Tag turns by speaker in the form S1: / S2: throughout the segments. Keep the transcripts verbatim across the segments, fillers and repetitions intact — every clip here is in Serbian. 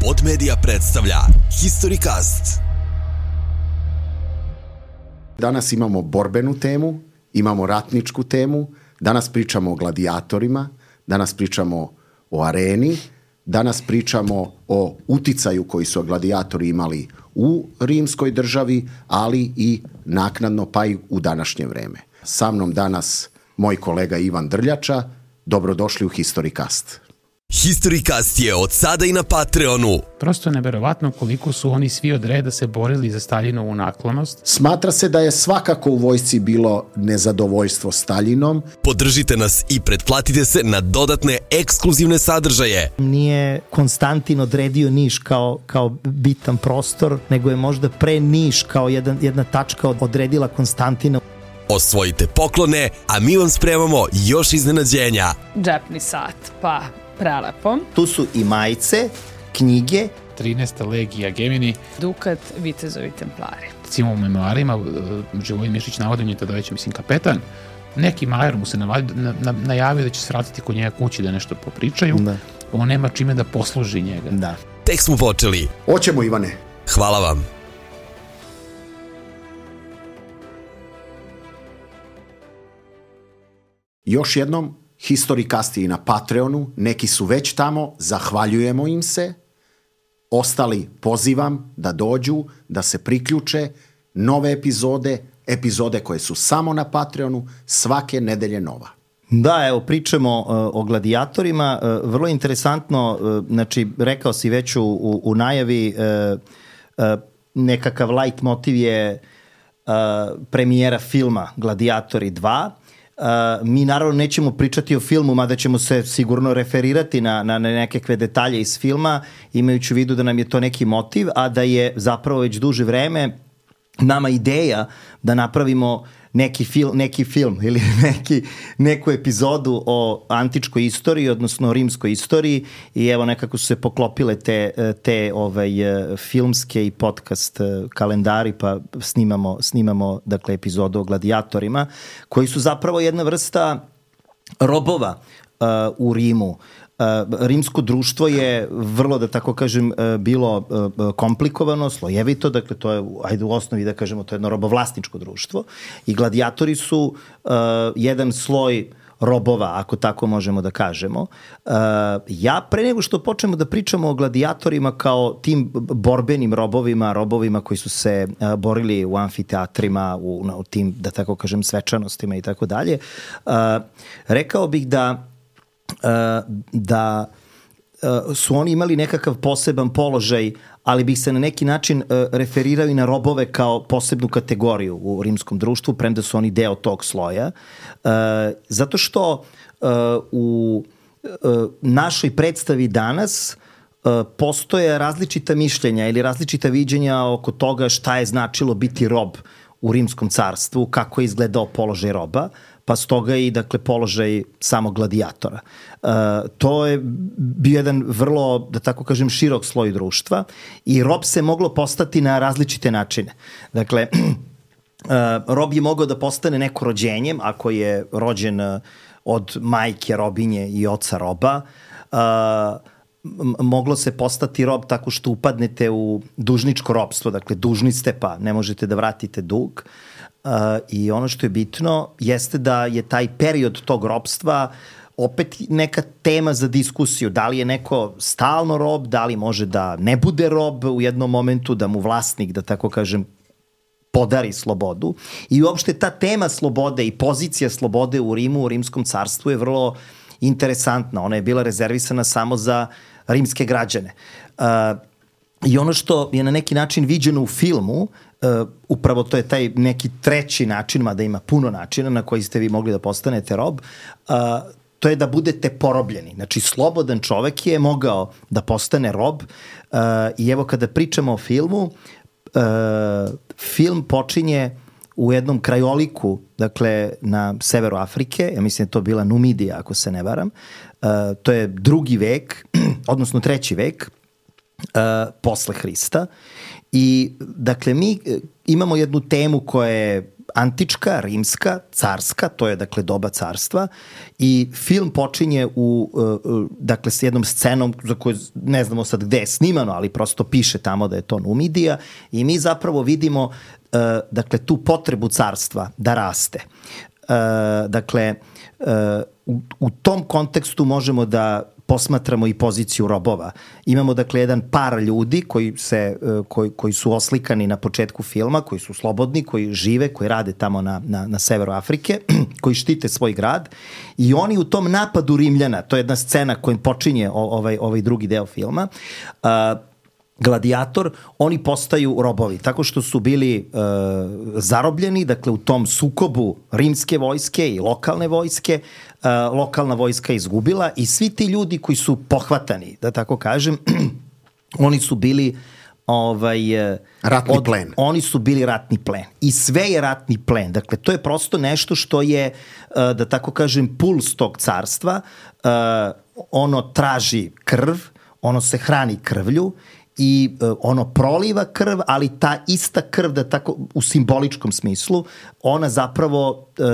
S1: Slobod Medija predstavlja Historicast.
S2: Danas imamo borbenu temu, imamo ratničku temu, danas pričamo o gladijatorima, danas pričamo o areni, danas pričamo o uticaju koji su gladijatori imali u rimskoj državi, ali i naknadno pa i u današnje vreme. Sa mnom danas moj kolega Ivan Drljača. Dobrodošli u Historicast.
S1: Historicast je od sada i na Patreonu.
S3: Prosto je neverovatno koliko su oni svi od reda se borili za Staljinovu naklonost.
S2: Smatra se da je svakako u vojsci bilo nezadovoljstvo Staljinom.
S1: Podržite nas i pretplatite se na dodatne ekskluzivne sadržaje.
S4: Nije Konstantin odredio Niš kao, kao bitan prostor, nego je možda pre Niš kao jedan, jedna tačka odredila Konstantina.
S1: Osvojite poklone, a mi vam spremamo još iznenađenja.
S5: Džepni sat, pa prelepo.
S4: Tu su i majice, knjige.
S3: trinaesta legija Gemini.
S5: Dukat, vitezovi templari.
S3: Recimo u memoarima Živojin Mišić navodi, on je tada već, mislim, kapetan. Neki majer mu se navadi, na, na, najavio da će se vratiti kod njega kući da nešto popričaju. Da. On nema čime da posluži njega.
S4: Da.
S1: Tek smo počeli.
S2: Hoćemo, Ivane.
S1: Hvala vam.
S2: Još jednom, Historicast je i na Patreonu, neki su već tamo, zahvaljujemo im se. Ostali pozivam da dođu, da se priključe, nove epizode, epizode koje su samo na Patreonu, svake nedelje nova.
S4: Da, evo, pričamo uh, o gladijatorima, uh, vrlo interesantno, uh, znači, rekao si već u, u, u najavi, uh, uh, nekakav light motiv je uh, premijera filma Gladijatori dva. Uh, mi naravno nećemo pričati o filmu, mada ćemo se sigurno referirati na, na, na nekakve detalje iz filma, imajući u vidu da nam je to neki motiv, a da je zapravo već duže vreme nama ideja da napravimo neki film, neki film ili neki, neku epizodu o antičkoj istoriji, odnosno o rimskoj istoriji, i evo nekako su se poklopile te, te ovaj, filmske i podcast kalendari, pa snimamo, snimamo dakle, epizodu o gladijatorima, koji su zapravo jedna vrsta robova uh, u Rimu. Uh, rimsko društvo je vrlo, da tako kažem, uh, bilo uh, komplikovano, slojevito, dakle to je, ajde u osnovi da kažemo, to je jedno robovlasničko društvo i gladijatori su uh, jedan sloj robova, ako tako možemo da kažemo. Uh, ja, pre nego što počnemo da pričamo o gladijatorima kao tim borbenim robovima, robovima koji su se uh, borili u amfiteatrima, u, u tim, da tako kažem, svečanostima i tako dalje, uh, rekao bih da Uh, da uh, su oni imali nekakav poseban položaj, ali bih se na neki način uh, referirao i na robove kao posebnu kategoriju u rimskom društvu, premda su oni deo tog sloja. Uh, zato što uh, u uh, našoj predstavi danas uh, postoje različita mišljenja ili različita viđenja oko toga šta je značilo biti rob u rimskom carstvu, kako je izgledao položaj roba, pa stoga i, dakle, položaj samog gladijatora. Uh, to je bio jedan vrlo, da tako kažem, širok sloj društva i rob se moglo postati na različite načine. Dakle, uh, rob je mogao da postane neko rođenjem, ako je rođen od majke robinje i oca roba. Uh, moglo se postati rob tako što upadnete u dužničko robstvo, dakle, dužni ste pa ne možete da vratite dug. Uh, i ono što je bitno jeste da je taj period tog robstva opet neka tema za diskusiju. Da li je neko stalno rob, da li može da ne bude rob u jednom momentu, da mu vlasnik, da tako kažem, podari slobodu. I uopšte ta tema slobode i pozicija slobode u Rimu, u rimskom carstvu je vrlo interesantna. Ona je bila rezervisana samo za rimske građane. Uh, I ono što je na neki način viđeno u filmu, Uh, upravo to je taj neki treći način, mada ima puno načina na koji ste vi mogli da postanete rob, uh, to je da budete porobljeni. Znači, slobodan čovek je mogao da postane rob uh, i evo kada pričamo o filmu, uh, film počinje u jednom krajoliku, dakle na severu Afrike, ja mislim da je to bila Numidija, ako se ne varam, uh, to je drugi vek, odnosno treći vek uh, posle Hrista. I, dakle, mi imamo jednu temu koja je antička, rimska, carska, to je dakle doba carstva i film počinje u, uh, dakle s jednom scenom za koju ne znamo sad gde je snimano, ali prosto piše tamo da je to Numidija i mi zapravo vidimo uh, dakle tu potrebu carstva da raste. Uh, dakle, uh, u, u tom kontekstu možemo da posmatramo i poziciju robova. Imamo dakle jedan par ljudi koji, se, koji, koji su oslikani na početku filma, koji su slobodni, koji žive, koji rade tamo na, na, na severu Afrike, koji štite svoj grad i oni u tom napadu Rimljana, to je jedna scena kojim počinje ovaj, ovaj drugi deo filma, uh, Gladijator, oni postaju robovi, tako što su bili e, zarobljeni, dakle u tom sukobu rimske vojske i lokalne vojske, e, lokalna vojska izgubila i svi ti ljudi koji su pohvatani, da tako kažem, oni su bili ovaj,
S2: ratni od, plen.
S4: Oni su bili ratni plen. I sve je ratni plen. Dakle, to je prosto nešto što je, da tako kažem, puls tog carstva. E, ono traži krv, ono se hrani krvlju i uh, ono proliva krv, ali ta ista krv, da tako u simboličkom smislu, ona zapravo uh,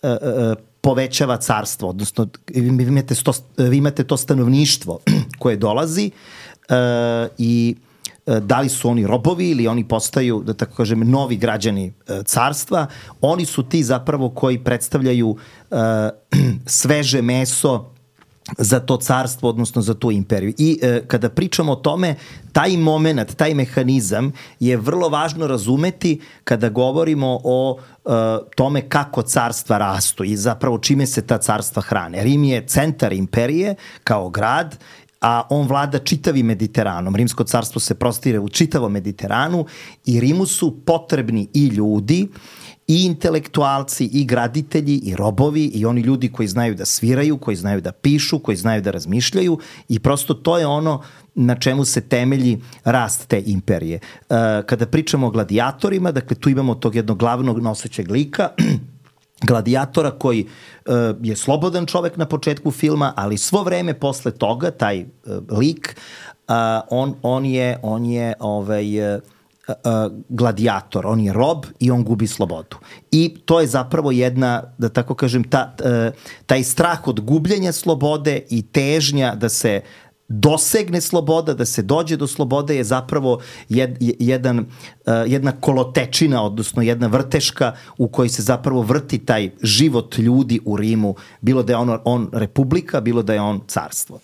S4: uh, uh, povećava carstvo, odnosno vi imate, sto, vi imate to stanovništvo koje dolazi uh, i uh, da li su oni robovi ili oni postaju, da tako kažem, novi građani uh, carstva, oni su ti zapravo koji predstavljaju uh, sveže meso za to carstvo, odnosno za tu imperiju. I e, kada pričamo o tome, taj moment, taj mehanizam je vrlo važno razumeti kada govorimo o e, tome kako carstva rastu i zapravo čime se ta carstva hrane. Rim je centar imperije kao grad, a on vlada čitavim Mediteranom. Rimsko carstvo se prostire u čitavom Mediteranu i Rimu su potrebni i ljudi, i intelektualci, i graditelji, i robovi, i oni ljudi koji znaju da sviraju, koji znaju da pišu, koji znaju da razmišljaju i prosto to je ono na čemu se temelji rast te imperije. Kada pričamo o gladijatorima, dakle tu imamo tog jednog glavnog nosećeg lika, gladijatora koji uh, je slobodan čovek na početku filma, ali svo vreme posle toga, taj uh, lik, uh, on, on je, on je ovaj, uh, Uh, gladijator, on je rob i on gubi slobodu. I to je zapravo jedna, da tako kažem, ta, uh, taj strah od gubljenja slobode i težnja da se dosegne sloboda, da se dođe do slobode je zapravo jed, jedan, uh, jedna kolotečina, odnosno jedna vrteška u kojoj se zapravo vrti taj život ljudi u Rimu, bilo da je on, on republika, bilo da je on carstvo.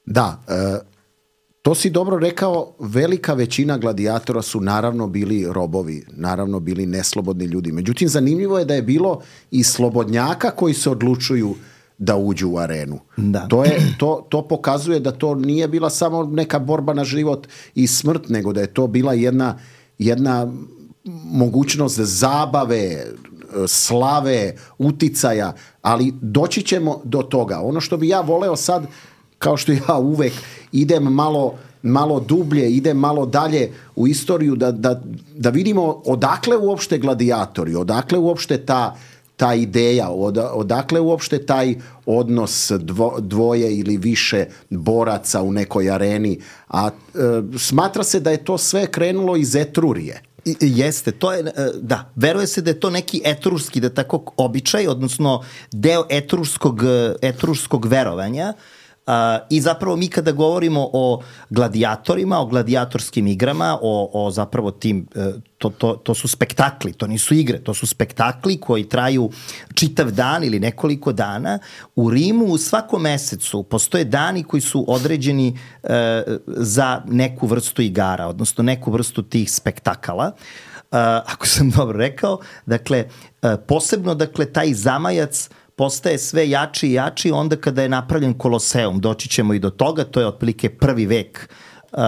S2: Da, uh... to si dobro rekao, velika većina gladijatora su naravno bili robovi, naravno bili neslobodni ljudi. Međutim, zanimljivo je da je bilo i slobodnjaka koji se odlučuju da uđu u arenu.
S4: Da.
S2: To, je, to, to pokazuje da to nije bila samo neka borba na život i smrt, nego da je to bila jedna, jedna mogućnost zabave, slave, uticaja, ali doći ćemo do toga. Ono što bi ja voleo sad, kao što ja uvek idem malo, malo dublje, idem malo dalje u istoriju da, da, da vidimo odakle uopšte gladijatori, odakle uopšte ta, ta ideja, od, odakle uopšte taj odnos dvo, dvoje ili više boraca u nekoj areni. A e, smatra se da je to sve krenulo iz Etrurije.
S4: I, jeste, to je, da, veruje se da je to neki etrurski, da tako običaj, odnosno deo etrurskog, etrurskog verovanja. Uh, I zapravo mi kada govorimo o gladijatorima, o gladijatorskim igrama, o, o zapravo tim, to, to, to su spektakli, to nisu igre, to su spektakli koji traju čitav dan ili nekoliko dana. U Rimu u svakom mesecu postoje dani koji su određeni uh, za neku vrstu igara, odnosno neku vrstu tih spektakala. Uh, ako sam dobro rekao, dakle, uh, posebno dakle, taj zamajac postaje sve jači i jači onda kada je napravljen Koloseum. Doći ćemo i do toga, to je otprilike prvi vek uh,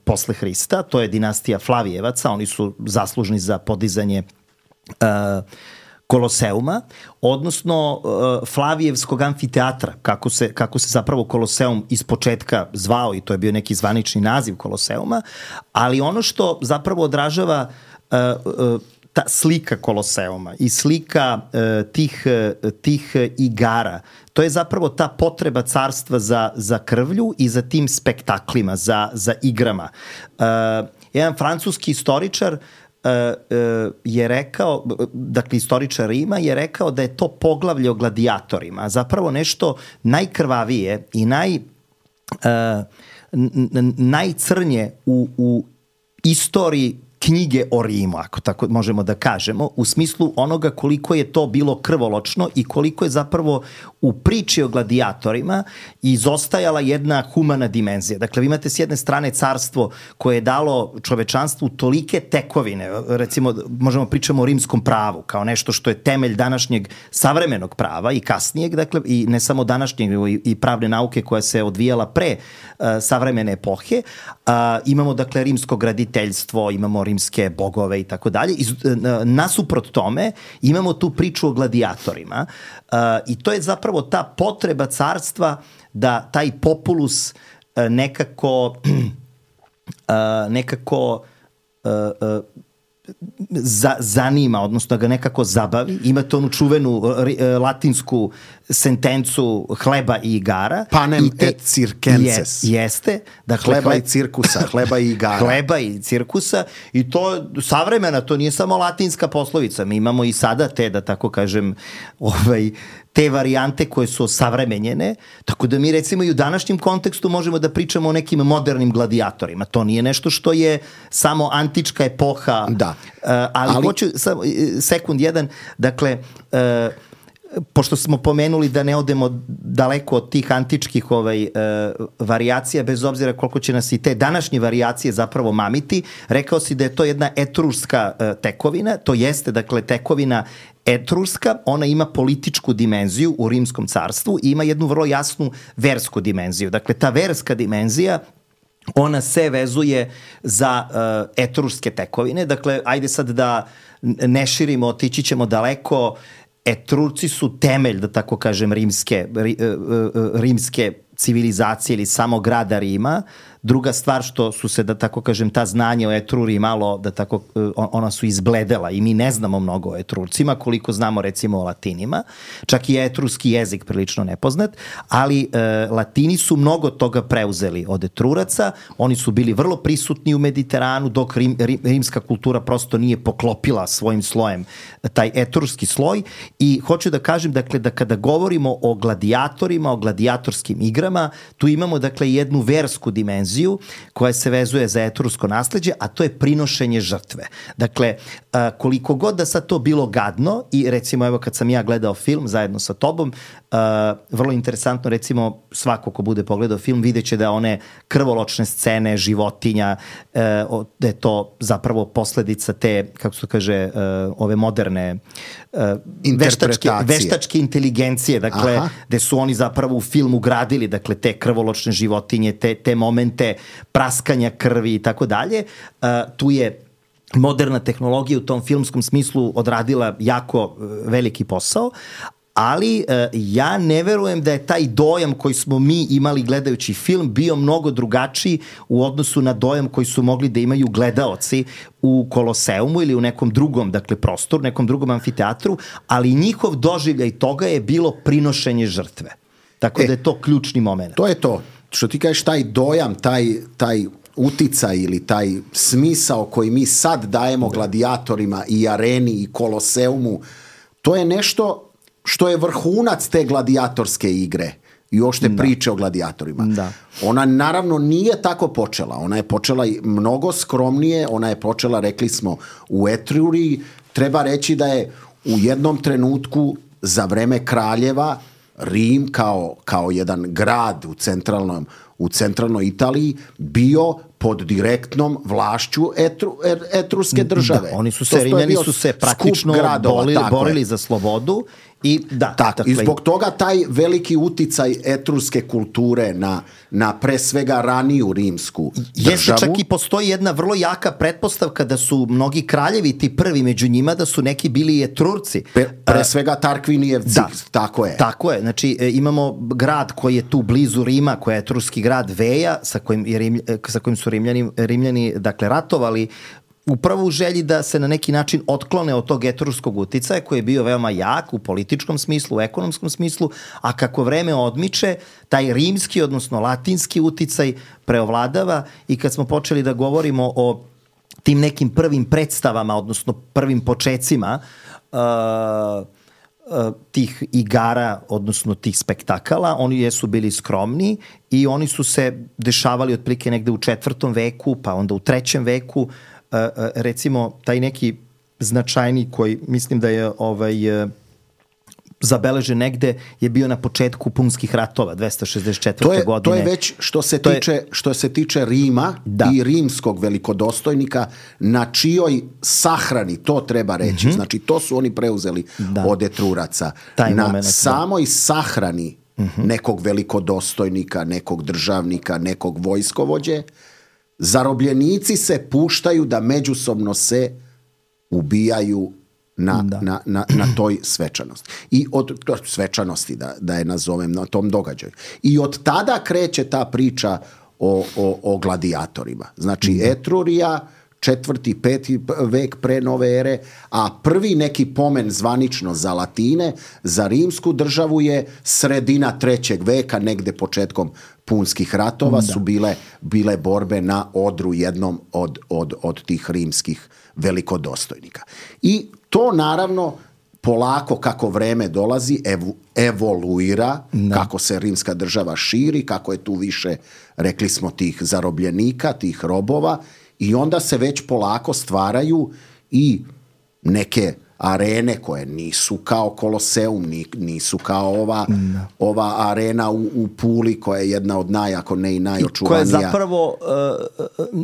S4: posle Hrista, to je dinastija Flavijevaca, oni su zaslužni za podizanje uh, Koloseuma, odnosno uh, Flavijevskog amfiteatra, kako se, kako se zapravo Koloseum iz početka zvao i to je bio neki zvanični naziv Koloseuma, ali ono što zapravo odražava uh, uh, ta slika Koloseuma i slika uh, tih, uh, tih igara, to je zapravo ta potreba carstva za, za krvlju i za tim spektaklima, za, za igrama. Uh, jedan francuski istoričar je rekao, dakle istoričar Rima je rekao da je to poglavlje o gladijatorima, zapravo nešto najkrvavije i naj, najcrnje u, u istoriji knjige o Rimu, ako tako možemo da kažemo, u smislu onoga koliko je to bilo krvoločno i koliko je zapravo u priči o gladijatorima izostajala jedna humana dimenzija. Dakle, vi imate s jedne strane carstvo koje je dalo čovečanstvu tolike tekovine, recimo možemo pričamo o rimskom pravu, kao nešto što je temelj današnjeg savremenog prava i kasnijeg, dakle, i ne samo današnjeg, i pravne nauke koja se odvijala pre uh, savremene epohe. Uh, imamo, dakle, rimsko graditeljstvo, imamo rimske bogove i tako dalje. Nasuprot tome imamo tu priču o gladijatorima uh, i to je zapravo ta potreba carstva da taj populus uh, nekako uh, nekako uh, uh, za, zanima, odnosno da ga nekako zabavi. Imate onu čuvenu uh, latinsku sentencu hleba i igara.
S2: Panem
S4: i te,
S2: et circenses.
S4: Je, jeste. Dakle,
S2: hleba
S4: hleb,
S2: i cirkusa, hleba i igara.
S4: Hleba i cirkusa i to savremena, to nije samo latinska poslovica. Mi imamo i sada te, da tako kažem, ovaj, te varijante koje su osavremenjene, tako da mi recimo i u današnjem kontekstu možemo da pričamo o nekim modernim gladijatorima. To nije nešto što je samo antička epoha.
S2: Da.
S4: Uh, ali, ali hoću, samo, sekund jedan, dakle, uh, pošto smo pomenuli da ne odemo daleko od tih antičkih ovaj, uh, varijacija, bez obzira koliko će nas i te današnje varijacije zapravo mamiti, rekao si da je to jedna etruska uh, tekovina, to jeste, dakle, tekovina etruska, ona ima političku dimenziju u Rimskom carstvu i ima jednu vrlo jasnu versku dimenziju. Dakle, ta verska dimenzija ona se vezuje za uh, etruske tekovine. Dakle, ajde sad da ne širimo, otići ćemo daleko. Etrurci su temelj, da tako kažem, rimske, ri, rimske civilizacije ili samo grada Rima. Druga stvar što su se, da tako kažem, ta znanja o Etruri malo, da tako, ona su izbledela i mi ne znamo mnogo o Etrurcima, koliko znamo recimo o Latinima. Čak i etruski jezik prilično nepoznat, ali e, Latini su mnogo toga preuzeli od Etruraca, oni su bili vrlo prisutni u Mediteranu, dok rim, rim, rimska kultura prosto nije poklopila svojim slojem taj etrurski sloj i hoću da kažem, dakle, da kada govorimo o gladijatorima, o gladijatorskim igrama, tu imamo, dakle, jednu versku dimenziju koja se vezuje za etrusko nasleđe, a to je prinošenje žrtve. Dakle, koliko god da sad to bilo gadno i recimo evo kad sam ja gledao film zajedno sa tobom, vrlo interesantno, recimo svako ko bude pogledao film vidjet će da one krvoločne scene životinja, da je to zapravo posledica te, kako se to kaže, ove moderne veštačke, veštačke inteligencije, dakle, aha, gde su oni zapravo u film ugradili, dakle, te krvoločne životinje, te, te momente praskanja krvi i tako dalje. Tu je moderna tehnologija u tom filmskom smislu odradila jako veliki posao, ali uh, ja ne verujem da je taj dojam koji smo mi imali gledajući film bio mnogo drugačiji u odnosu na dojam koji su mogli da imaju gledaoci u Koloseumu ili u nekom drugom, dakle, prostoru, nekom drugom amfiteatru, ali njihov doživljaj toga je bilo prinošenje žrtve. Tako e, da je to ključni moment.
S2: To je to. Što ti kažeš, taj dojam, taj, taj uticaj ili taj smisao koji mi sad dajemo gladijatorima i areni i Koloseumu, to je nešto što je vrhunac te gladijatorske igre i uopšte da. priče o gladijatorima. Da. Ona naravno nije tako počela. Ona je počela mnogo skromnije, ona je počela, rekli smo, u Etruri. Treba reći da je u jednom trenutku za vreme kraljeva Rim kao, kao jedan grad u centralnom u centralnoj Italiji bio pod direktnom vlašću etru, etruske države.
S4: Da, oni su se, Rimljani su se praktično gradova, borili, borili za slobodu. I, da,
S2: tako, dakle, i zbog toga taj veliki uticaj etruske kulture na, na pre svega raniju rimsku državu.
S4: Jeste, čak i postoji jedna vrlo jaka pretpostavka da su mnogi kraljevi, ti prvi među njima, da su neki bili Etrurci.
S2: Pre, pre svega Tarkvinijevci, da, tako je.
S4: Tako je, znači imamo grad koji je tu blizu Rima, koji je etruski grad Veja, sa kojim, je Rim, sa kojim su Rimljani, Rimljani dakle, ratovali, upravo u želji da se na neki način otklone od tog etruskog uticaja koji je bio veoma jak u političkom smislu, u ekonomskom smislu, a kako vreme odmiče, taj rimski, odnosno latinski uticaj preovladava i kad smo počeli da govorimo o tim nekim prvim predstavama, odnosno prvim počecima uh, uh, tih igara, odnosno tih spektakala. Oni jesu bili skromni i oni su se dešavali otprilike negde u četvrtom veku, pa onda u trećem veku. Uh, uh, recimo, taj neki značajni koji mislim da je ovaj... Uh, zabeležen negde je bio na početku punskih ratova dvesta šezdeset četvrte.
S2: To je,
S4: godine.
S2: to je već što se, tiče, je... što se tiče Rima da. I rimskog velikodostojnika na čijoj sahrani, to treba reći, mm-hmm. znači to su oni preuzeli da. Od Etruraca. Taj na moment, samoj da. Sahrani mm-hmm. nekog velikodostojnika, nekog državnika, nekog vojskovođe, zarobljenici se puštaju da međusobno se ubijaju Na, na, na, na toj svečanosti. I od svečanosti, da, da je nazovem, na tom događaju. I od tada kreće ta priča o, o, o gladijatorima. Znači, mm. Etrurija, četvrti, peti vek pre nove ere, a prvi neki pomen zvanično za Latine, za rimsku državu je sredina trećeg veka, negde početkom punskih ratova da. Su bile, bile borbe na odru jednom od, od, od tih rimskih velikodostojnika. I to naravno polako kako vreme dolazi evo, evoluira, da. Kako se rimska država širi, kako je tu više, rekli smo, tih zarobljenika, tih robova i onda se već polako stvaraju i neke arene koje nisu kao Koloseum, nisu kao ova, da. Ova arena u, u Puli koja je jedna od naj, ako ne i najočuvanija.
S4: Koja je zapravo uh,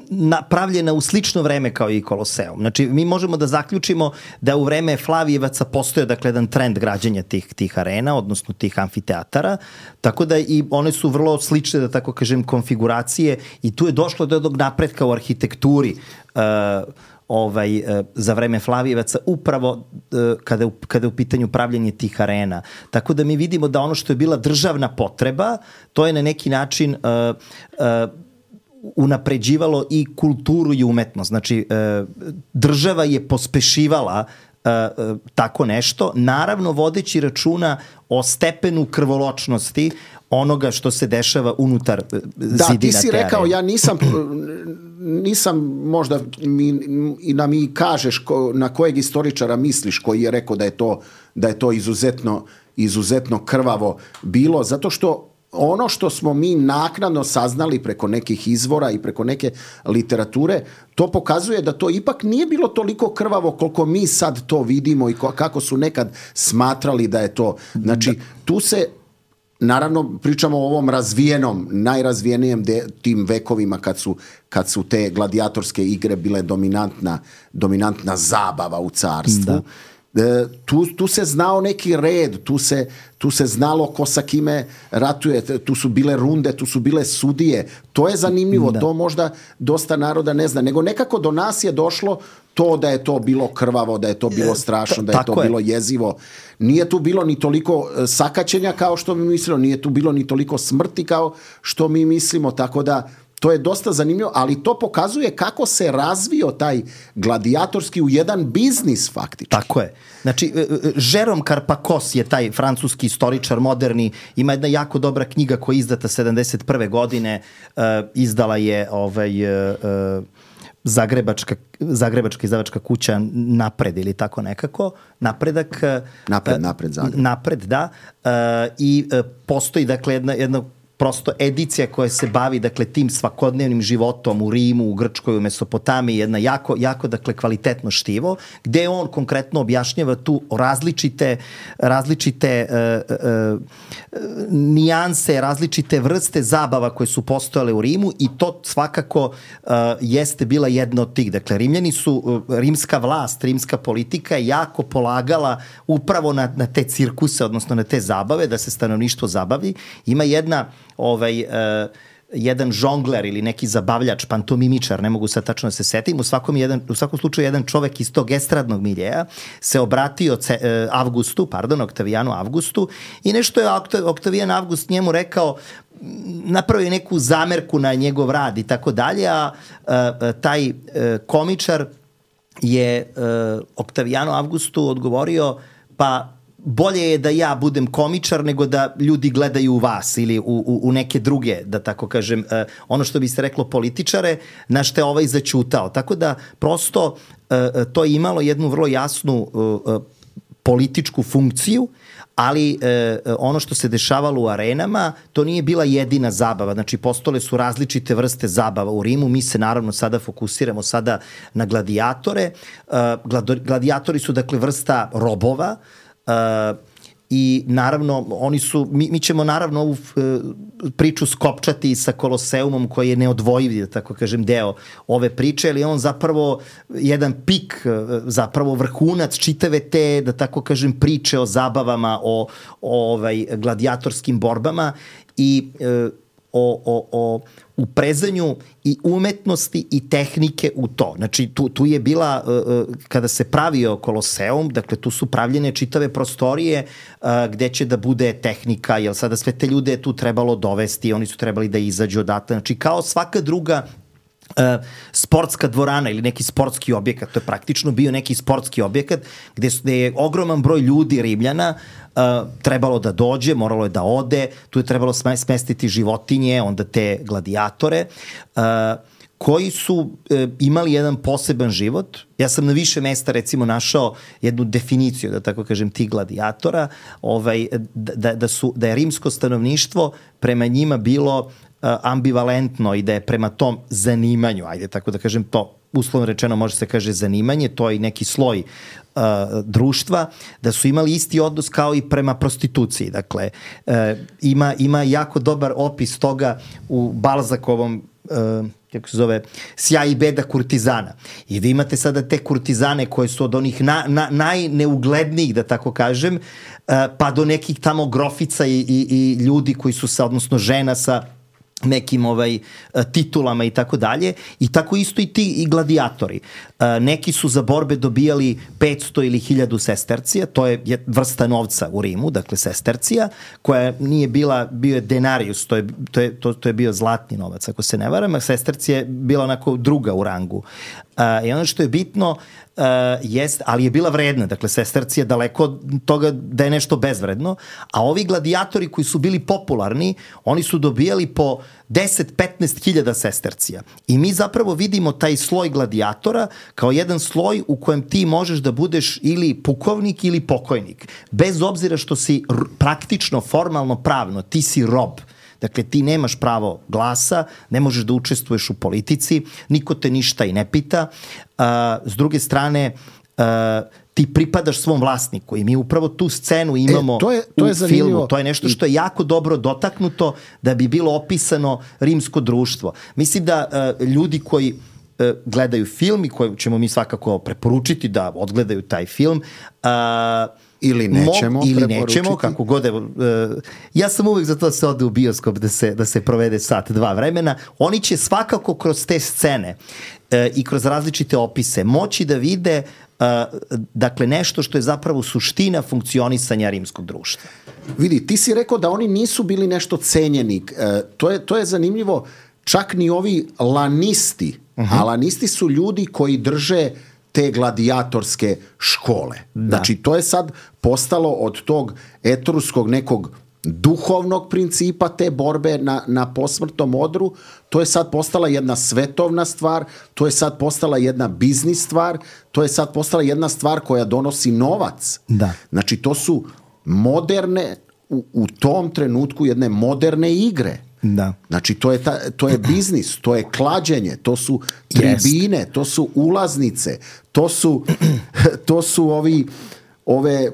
S4: napravljena u slično vreme kao i Koloseum. Znači, mi možemo da zaključimo da u vreme Flavijevaca postoje, dakle, jedan trend građenja tih, tih arena, odnosno tih amfiteatara, tako da i one su vrlo slične, da tako kažem, konfiguracije i tu je došlo do jednog napretka u arhitekturi uh, ovaj, za vreme Flavijevaca upravo kada je, kada je u pitanju pravljenje tih arena. Tako da mi vidimo da ono što je bila državna potreba, to je na neki način uh, uh, unapređivalo i kulturu i umetnost. Znači, uh, država je pospešivala uh, uh, tako nešto, naravno vodeći računa o stepenu krvoločnosti onoga što se dešava unutar zidina te arene. Da,
S2: ti si rekao, ja nisam, nisam možda mi, i da mi kažeš ko, na kojeg istoričara misliš koji je rekao da je to, da je to izuzetno, izuzetno krvavo bilo, zato što ono što smo mi naknadno saznali preko nekih izvora i preko neke literature, to pokazuje da to ipak nije bilo toliko krvavo koliko mi sad to vidimo i kako su nekad smatrali da je to. Znači, tu se naravno, pričamo o ovom razvijenom, najrazvijenijem de, tim vekovima kad su, kad su te gladijatorske igre bile dominantna, dominantna zabava u carstvu. E, tu, tu se znao neki red, tu se, tu se znalo ko sa kime ratuje, tu su bile runde, tu su bile sudije. To je zanimljivo, da. To možda dosta naroda ne zna. Nego nekako do nas je došlo to da je to bilo krvavo, da je to bilo strašno, da je to bilo jezivo. Nije tu bilo ni toliko sakaćenja kao što mi mislimo, nije tu bilo ni toliko smrti kao što mi mislimo, tako da to je dosta zanimljivo, ali to pokazuje kako se razvio taj gladijatorski u jedan biznis faktički.
S4: Tako je. Znači, Jérôme Carpacos je taj francuski istoričar moderni, ima jedna jako dobra knjiga koja je izdata sedamdeset prve godine, uh, izdala je ovaj... Uh, Zagrebačka, Zagrebačka izdavačka kuća Napred ili tako nekako. Napredak.
S2: Napred, napred, Zagreb.
S4: Napred, da. Uh, I uh, postoji, dakle, jedna, jedna prosto edicija koja se bavi, dakle, tim svakodnevnim životom u Rimu, u Grčkoj, u Mesopotamiji, jedna jako, jako, dakle, kvalitetno štivo, gde on konkretno objašnjava tu različite, različite uh, uh, nijanse, različite vrste zabava koje su postojale u Rimu i to svakako uh, jeste bila jedna od tih. Dakle, Rimljani su, uh, rimska vlast, rimska politika je jako polagala upravo na, na te cirkuse, odnosno na te zabave, da se stanovništvo zabavi. Ima jedna ovaj, uh, jedan žongler ili neki zabavljač, pantomimičar, ne mogu sad tačno da se setim, u svakom, jedan, u svakom slučaju jedan čovek iz tog estradnog miljeja se obratio ce, uh, Avgustu, pardon, Oktavijanu Avgustu i nešto je Oktavijan Avgust njemu rekao, napravio neku zamerku na njegov rad i tako dalje, a uh, taj uh, komičar je uh, Oktavijanu Avgustu odgovorio, pa bolje je da ja budem komičar nego da ljudi gledaju u vas ili u, u, u neke druge, da tako kažem, uh, ono što bi se reklo političare, na što je ovaj začutao. Tako da prosto uh, to je imalo jednu vrlo jasnu uh, političku funkciju, ali e, ono što se dešavalo u arenama, to nije bila jedina zabava. Znači, postojale su različite vrste zabava u Rimu. Mi se naravno sada fokusiramo sada na gladiatore. E, gladijatori su, dakle, vrsta robova e, i naravno, oni su, mi, mi ćemo naravno ovu e, priču skopčati sa Koloseumom koji je neodvojiv, da tako kažem, deo ove priče, ali on zapravo jedan pik, zapravo vrhunac čitave te, da tako kažem, priče o zabavama, o, o ovaj, gladijatorskim borbama i e, o, o, o uprezanju i umetnosti i tehnike u to. Znači, tu, tu je bila, uh, kada se pravio Koloseum, dakle, tu su pravljene čitave prostorije uh, gde će da bude tehnika, jer sada sve te ljude je tu trebalo dovesti, oni su trebali da izađu odatle. Znači, kao svaka druga Uh, sportska dvorana ili neki sportski objekat, to je praktično bio neki sportski objekat gde, su, gde je ogroman broj ljudi, Rimljana, uh, trebalo da dođe, moralo je da ode, tu je trebalo smestiti životinje, onda te gladiatore, uh, koji su uh, imali jedan poseban život. Ja sam na više mesta recimo našao jednu definiciju, da tako kažem, tih gladijatora, ovaj, da, da, su, da je rimsko stanovništvo prema njima bilo ambivalentno i da je prema tom zanimanju, ajde tako da kažem, to uslovno rečeno može se kaže zanimanje, to je neki sloj uh, društva, da su imali isti odnos kao i prema prostituciji. Dakle, uh, ima, ima jako dobar opis toga u Balzakovom uh, kako se zove, Sjaj i beda kurtizana. I vi imate sada te kurtizane koje su od onih na, na, najneuglednijih, da tako kažem, uh, pa do nekih tamo grofica i, i, i ljudi koji su sa, odnosno žena sa nekim ovaj titulama i tako dalje, i tako isto i ti i gladijatori. Neki su za borbe dobijali petsto ili hiljadu sestercija, to je vrsta novca u Rimu, dakle sestercija, koja nije bila, bio je denarius, to je, to je, to, to je bio zlatni novac, ako se ne varam, a sestercija je bila onako druga u rangu. I ono što je bitno Uh, jest, ali je bila vredna, dakle sestercija daleko od toga da je nešto bezvredno, a ovi gladijatori koji su bili popularni, oni su dobijali po deset do petnaest hiljada sestercija. I mi zapravo vidimo taj sloj gladijatora kao jedan sloj u kojem ti možeš da budeš ili pukovnik ili pokojnik. Bez obzira što si praktično, formalno, pravno, ti si rob. Dakle, ti nemaš pravo glasa, ne možeš da učestvuješ u politici, niko te ništa i ne pita. Uh, s druge strane, uh, ti pripadaš svom vlasniku i mi upravo tu scenu imamo e, to je, to je u zanimljivo. Filmu. To je nešto što je jako dobro dotaknuto da bi bilo opisano rimsko društvo. Mislim da uh, ljudi koji uh, gledaju film i koje ćemo mi svakako preporučiti da odgledaju taj film, uh,
S2: ili nećemo
S4: Mog, ili nećemo, kako god je, uh, ja sam uvek za to da se ode u bioskop da se, da se provede sat, dva vremena. Oni će svakako kroz te scene uh, i kroz različite opise moći da vide uh, dakle nešto što je zapravo suština funkcionisanja rimskog društva.
S2: Vidi, ti si rekao da oni nisu bili nešto cenjeni. Uh, to, je, to je zanimljivo. Čak ni ovi lanisti, uh-huh. a lanisti su ljudi koji drže te gladijatorske škole. Da. Znači, to je sad postalo od tog etruskog nekog duhovnog principa te borbe na, na posmrtnom odru, to je sad postala jedna svetovna stvar, to je sad postala jedna biznis stvar, to je sad postala jedna stvar koja donosi novac.
S4: Da.
S2: Znači, to su moderne, u, u tom trenutku jedne moderne igre.
S4: Da.
S2: Znači, to je, ta, to je biznis, to je klađenje, to su tribine, to su ulaznice, to su, to su ovi, ove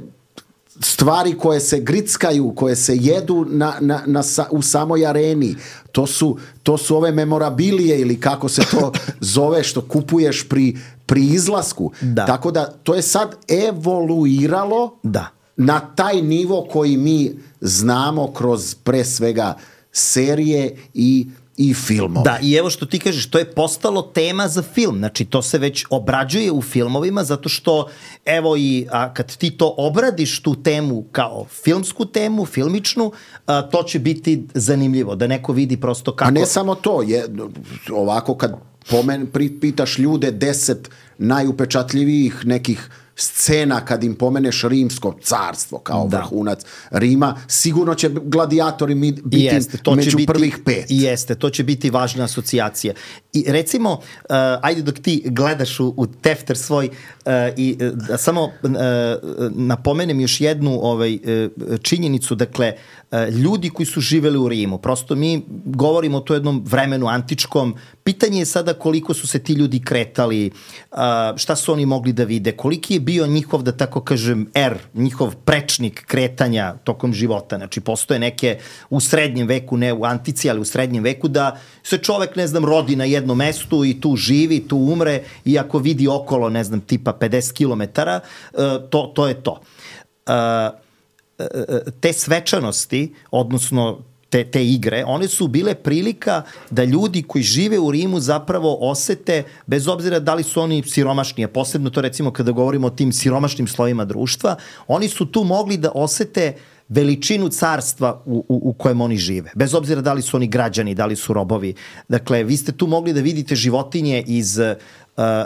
S2: stvari koje se grickaju, koje se jedu na, na, na, u samoj areni. To su, to su ove memorabilije ili kako se to zove što kupuješ pri, pri izlasku.
S4: Da.
S2: Tako da to je sad evoluiralo
S4: da.
S2: na taj nivo koji mi znamo kroz pre svega serije i i filmove.
S4: Da, i evo što ti kažeš, to je postalo tema za film. Znači, to se već obrađuje u filmovima zato što, evo i a kad ti to obradiš tu temu kao filmsku temu, filmičnu, a, to će biti zanimljivo, da neko vidi prosto kako...
S2: A ne samo to, je, ovako kad pomen, pitaš ljude deset najupečatljivijih nekih scena kad im pomeneš rimsko carstvo kao da. vrhunac Rima, sigurno će gladijatori biti jeste, to među biti, prvih pet.
S4: Jeste, to će biti važna asocijacija. I recimo, uh, ajde dok ti gledaš u, u tefter svoj uh, i uh, samo uh, napomenem još jednu ovaj, uh, činjenicu, dakle, uh, ljudi koji su živeli u Rimu, prosto mi govorimo o to jednom vremenu antičkom, pitanje je sada koliko su se ti ljudi kretali, uh, šta su oni mogli da vide, koliki je bio njihov, da tako kažem, er, njihov prečnik kretanja tokom života. Znači, postoje neke u srednjem veku, ne u antici, ali u srednjem veku, da se čovek, ne znam, rodi na jednom mestu i tu živi, tu umre i ako vidi okolo, ne znam, tipa pedeset kilometara, uh, to, to je to. Uh, te svečanosti, odnosno Te, te igre, one su bile prilika da ljudi koji žive u Rimu zapravo osete, bez obzira da li su oni siromašni, a posebno to recimo kada govorimo o tim siromašnim slojima društva, oni su tu mogli da osete veličinu carstva u, u, u kojem oni žive. Bez obzira da li su oni građani, da li su robovi. Dakle, vi ste tu mogli da vidite životinje iz uh,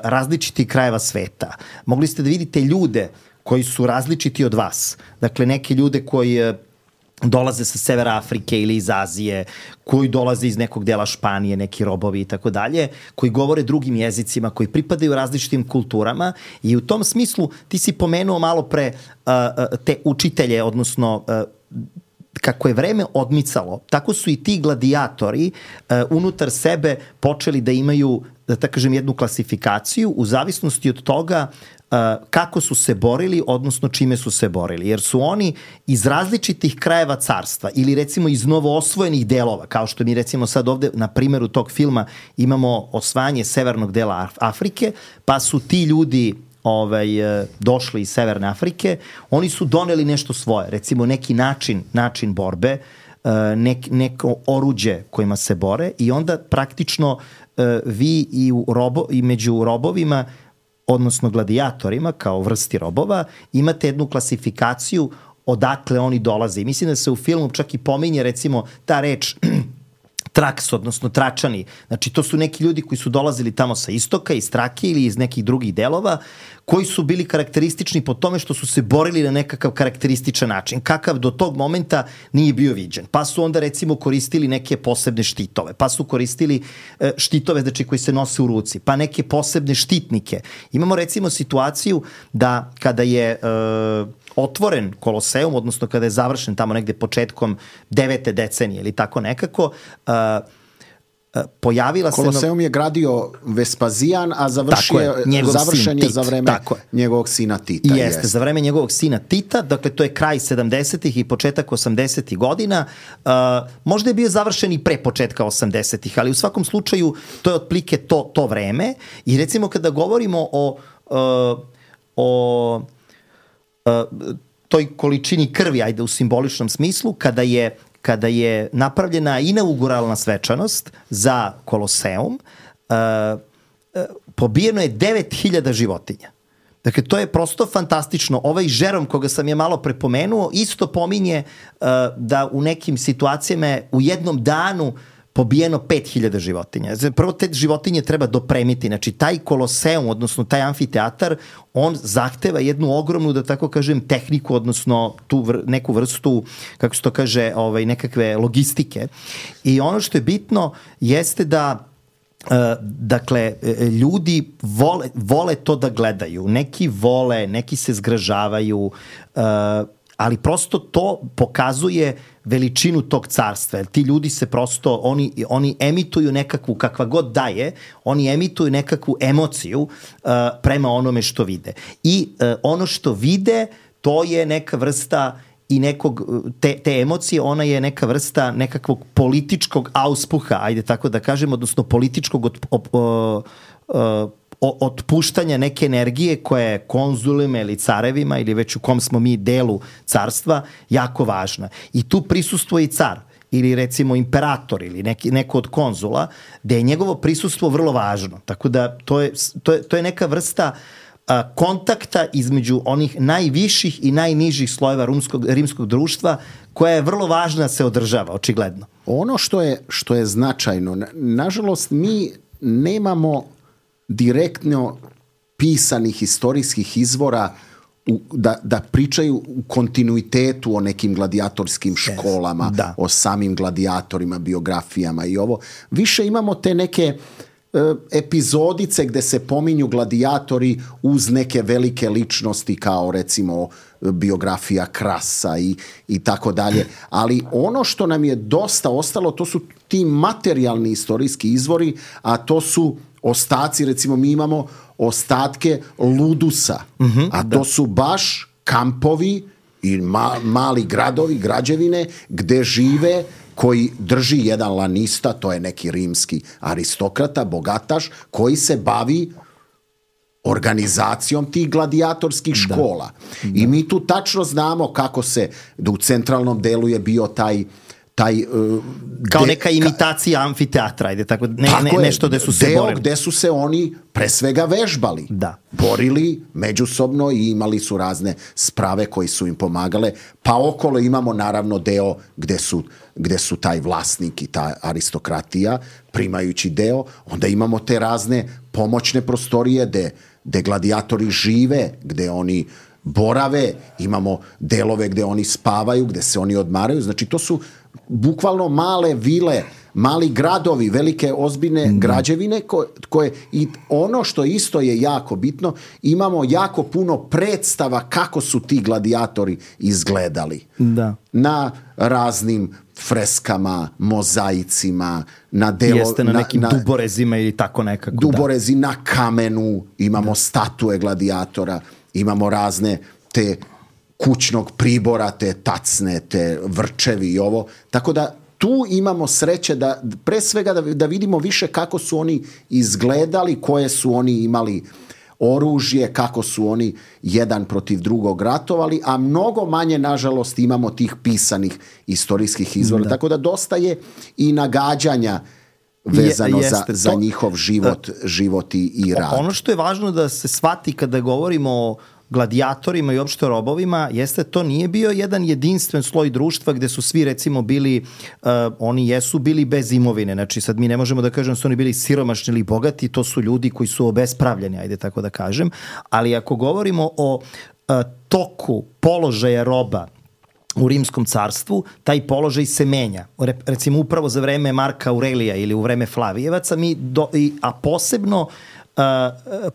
S4: različitih krajeva sveta. Mogli ste da vidite ljude koji su različiti od vas. Dakle, neke ljude koji uh, dolaze sa severa Afrike ili iz Azije, koji dolaze iz nekog dela Španije, neki robovi i tako dalje, koji govore drugim jezicima, koji pripadaju različitim kulturama i u tom smislu ti si pomenuo malo pre uh, te učitelje, odnosno uh, kako je vreme odmicalo, tako su i ti gladijatori uh, unutar sebe počeli da imaju, da tako kažem, jednu klasifikaciju u zavisnosti od toga Uh, kako su se borili, odnosno čime su se borili. Jer su oni iz različitih krajeva carstva ili recimo iz novoosvojenih delova, kao što mi recimo sad ovde na primjeru tog filma imamo osvajanje severnog dela Afrike, pa su ti ljudi ovaj, došli iz Severne Afrike, oni su doneli nešto svoje, recimo neki način, način borbe, nek, neko oruđe kojima se bore i onda praktično vi i, u robo, i među robovima, odnosno gladijatorima kao vrsti robova, imate jednu klasifikaciju odakle oni dolaze. I mislim da se u filmu čak i pominje recimo ta reč traks, odnosno tračani. Znači, to su neki ljudi koji su dolazili tamo sa istoka, iz Trake ili iz nekih drugih delova, koji su bili karakteristični po tome što su se borili na nekakav karakterističan način, kakav do tog momenta nije bio viđen. Pa su onda recimo koristili neke posebne štitove, pa su koristili e, štitove znači, koji se nose u ruci, pa neke posebne štitnike. Imamo recimo situaciju da kada je e, otvoren Koloseum, odnosno kada je završen tamo negde početkom devete decenije ili tako nekako, uh, uh, pojavila se...
S2: Koloseum je gradio Vespazijan, a završio, je, završen je za vreme njegovog sina Tita.
S4: Jeste, jeste, za vreme njegovog sina Tita, dakle to je kraj sedamdesetih i početak osamdesetih godina. Uh, možda je bio završen i pre početka osamdesetih, ali u svakom slučaju to je otplike to, to vreme. I recimo kada govorimo o... Uh, o toj količini krvi, ajde u simboličnom smislu, kada je, kada je napravljena inauguralna svečanost za Koloseum, uh, uh, pobijeno je devet hiljada životinja. Dakle, to je prosto fantastično. Ovaj Žerom, koga sam je malo prepomenuo, isto pominje uh, da u nekim situacijama u jednom danu pobijeno pet hiljada životinja. Prvo te životinje treba dopremiti. Znači, taj Koloseum, odnosno taj amfiteatar, on zahteva jednu ogromnu, da tako kažem, tehniku, odnosno tu vr, neku vrstu, kako se to kaže, ovaj, nekakve logistike. I ono što je bitno jeste da Uh, dakle, ljudi vole, vole to da gledaju. Neki vole, neki se zgražavaju, uh, ali prosto to pokazuje veličinu tog carstva. Ti ljudi se prosto, oni, oni emituju nekakvu, kakva god daje, oni emituju nekakvu emociju uh, prema onome što vide. I uh, ono što vide, to je neka vrsta i nekog, te, te emocije, ona je neka vrsta nekakvog političkog auspuha, ajde tako da kažem, odnosno političkog od, op, o, o, otpuštanja neke energije koja je konzulima ili carevima ili već u kom smo mi delu carstva jako važna. I tu prisustvuje i car ili recimo imperator ili neki, neko od konzula, gde je njegovo prisustvo vrlo važno. Tako da to je, to je, to je neka vrsta a, kontakta između onih najviših i najnižih slojeva rumskog, rimskog društva koja je vrlo važna da se održava, očigledno.
S2: Ono što je, što je značajno, nažalost mi nemamo direktno pisanih istorijskih izvora u, da, da pričaju u kontinuitetu o nekim gladijatorskim školama,
S4: da.
S2: o samim gladijatorima, biografijama i ovo. Više imamo te neke epizodice gde se pominju gladijatori uz neke velike ličnosti kao recimo biografija Krasa i, i tako dalje. Ali ono što nam je dosta ostalo, to su ti materijalni istorijski izvori, a to su ostaci, recimo mi imamo ostatke Ludusa, mm-hmm, a to da. su baš kampovi i ma, mali gradovi, građevine gde žive, koji drži jedan lanista, to je neki rimski aristokrata, bogataš, koji se bavi organizacijom tih gladijatorskih škola. Da. I mi tu tačno znamo kako se, da u centralnom delu je bio taj taj uh,
S4: kao
S2: de,
S4: neka imitacija ka, amfiteatra, ide tako, ne,
S2: tako
S4: ne,
S2: je,
S4: nešto gde su se
S2: deo
S4: borili.
S2: Gde su se oni pre svega vežbali.
S4: Da.
S2: Borili međusobno i imali su razne sprave koji su im pomagale. Pa okolo imamo naravno deo gde su, gde su taj vlasnik i ta aristokratija primajući deo. Onda imamo te razne pomoćne prostorije gde, gde gladijatori žive, gde oni borave, imamo delove gde oni spavaju, gde se oni odmaraju. Znači to su bukvalno male vile, mali gradovi, velike ozbiljne mm. građevine koje, koje i ono što isto je jako bitno, imamo jako puno predstava kako su ti gladijatori izgledali.
S4: Da.
S2: Na raznim freskama, mozaicima, na delo,
S4: jeste na, na nekim
S2: na,
S4: duborezima ili tako nekako.
S2: Duborezi da. Na kamenu, imamo da. Statue gladijatora, imamo razne te kućnog pribora, te tacne, te vrčevi i ovo. Tako da tu imamo sreće da pre svega da, da vidimo više kako su oni izgledali, koje su oni imali oružje, kako su oni jedan protiv drugog ratovali, a mnogo manje, nažalost, imamo tih pisanih istorijskih izvora. Da. Tako da dosta je i nagađanja vezano je, za, za to, njihov život, da, život i, i rad.
S4: Ono što je važno da se shvati kada govorimo o gladijatorima i opšte robovima, jeste to nije bio jedan jedinstven sloj društva gde su svi recimo bili, uh, oni jesu bili bez imovine, znači sad mi ne možemo da kažem da su oni bili siromašni ili bogati, to su ljudi koji su obespravljeni, ajde tako da kažem, ali ako govorimo o uh, toku položaja roba u Rimskom carstvu, taj položaj se menja. Recimo upravo za vreme Marka Aurelija ili u vreme Flavijevaca, mi do, i, a posebno Uh,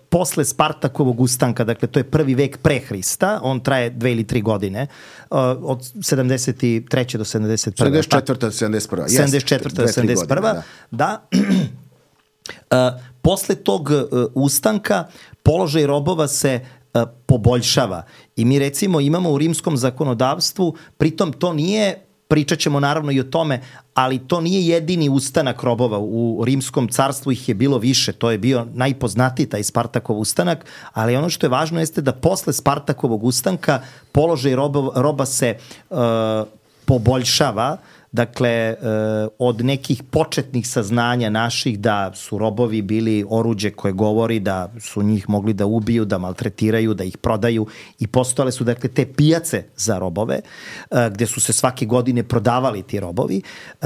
S4: posle Spartakovog ustanka, dakle to je prvi vek pre Hrista, on traje dve ili tri godine, uh, od sedamdeset treće do sedamdeset prve.
S2: sedamdeset četvrte do sedamdeset prve.
S4: sedamdeset četvrte do sedamdeset prve. Da. da. uh, posle tog uh, ustanka položaj robova se uh, poboljšava i mi recimo imamo u rimskom zakonodavstvu, pritom to nije, pričat ćemo naravno i o tome, ali to nije jedini ustanak robova. U Rimskom carstvu ih je bilo više. To je bio najpoznatiji taj Spartakov ustanak, ali ono što je važno jeste da posle Spartakovog ustanka položaj roba, roba se uh, poboljšava. Dakle, od nekih početnih saznanja naših da su robovi bili oruđe koje govori da su njih mogli da ubiju, da maltretiraju, da ih prodaju i postojale su dakle te pijace za robove gde su se svake godine prodavali ti robovi.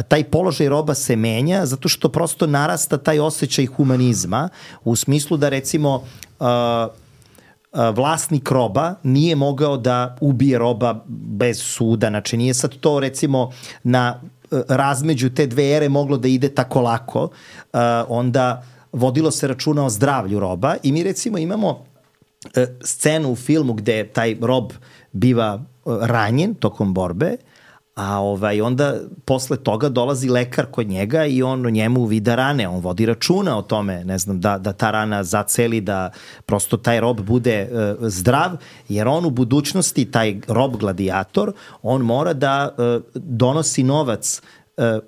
S4: Taj položaj roba se menja zato što prosto narasta taj osjećaj humanizma u smislu da recimo vlasnik roba nije mogao da ubije roba bez suda, znači nije sad to recimo na razmeđu te dve ere moglo da ide tako lako, onda vodilo se računa o zdravlju roba i mi recimo imamo scenu u filmu gde taj rob biva ranjen tokom borbe, a ovaj, onda posle toga dolazi lekar kod njega i on njemu vida rane, on vodi računa o tome, ne znam, da, da ta rana zaceli, da prosto taj rob bude uh, zdrav, jer on u budućnosti, taj rob gladijator, on mora da uh, donosi novac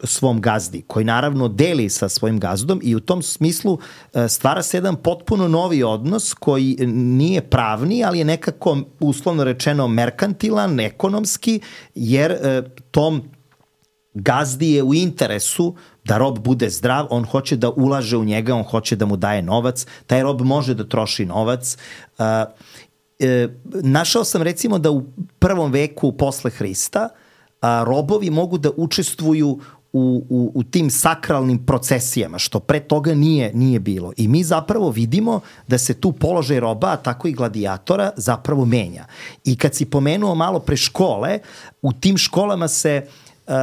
S4: svom gazdi, koji naravno deli sa svojim gazdom i u tom smislu stvara se jedan potpuno novi odnos koji nije pravni, ali je nekako uslovno rečeno merkantilan, ekonomski, jer tom gazdi je u interesu da rob bude zdrav, on hoće da ulaže u njega, on hoće da mu daje novac, taj rob može da troši novac. Našao sam recimo da u prvom veku posle Hrista a, robovi mogu da učestvuju u u, u, u tim sakralnim procesijama, što pre toga nije, nije bilo. I mi zapravo vidimo da se tu položaj roba, a tako i gladijatora, zapravo menja. I kad si pomenuo malo pre škole, u tim školama se uh,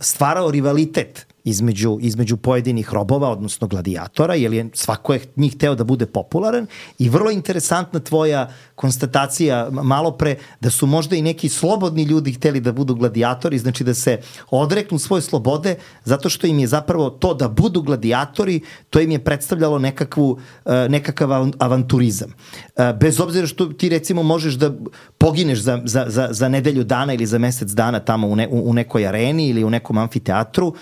S4: stvarao rivalitet između, između pojedinih robova, odnosno gladijatora, jer je svako je njih hteo da bude popularan i vrlo interesantna tvoja konstatacija malo pre da su možda i neki slobodni ljudi hteli da budu gladijatori, znači da se odreknu svoje slobode zato što im je zapravo to da budu gladijatori, to im je predstavljalo nekakvu, nekakav avanturizam. Bez obzira što ti recimo možeš da pogineš za, za, za, za nedelju dana ili za mesec dana tamo u, ne, u nekoj areni ili u nekom amfiteatru,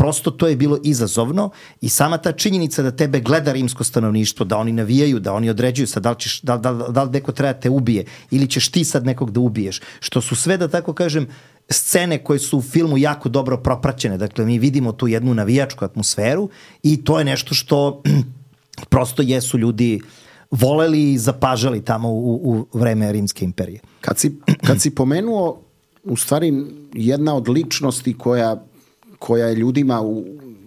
S4: prosto to je bilo izazovno i sama ta činjenica da tebe gleda rimsko stanovništvo, da oni navijaju, da oni određuju sad da li, ćeš, da, da, da li neko treba te ubije ili ćeš ti sad nekog da ubiješ, što su sve, da tako kažem, scene koje su u filmu jako dobro propraćene. Dakle, mi vidimo tu jednu navijačku atmosferu i to je nešto što prosto jesu ljudi voleli i zapažali tamo u, u vreme Rimske imperije.
S2: Kad si, kad si pomenuo u stvari jedna od ličnosti koja, koja je ljudima u,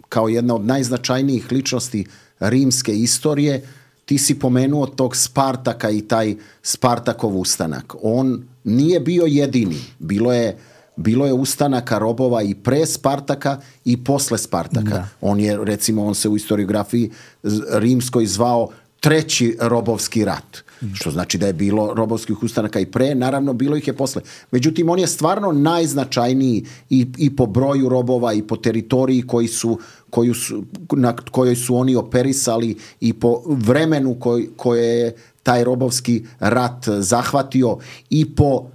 S2: kao jedna od najznačajnijih ličnosti rimske istorije, ti si pomenuo tog Spartaka i taj Spartakov ustanak. On nije bio jedini. Bilo je, bilo je ustanaka robova i pre Spartaka i posle Spartaka. Da. On je, recimo, on se u historiografiji rimskoj zvao treći robovski rat. Što znači da je bilo robovskih ustanaka i pre, naravno bilo ih je posle. Međutim, on je stvarno najznačajniji i, i po broju robova i po teritoriji koji su, koju su, na kojoj su oni operisali i po vremenu koj, koje je taj robovski rat zahvatio i po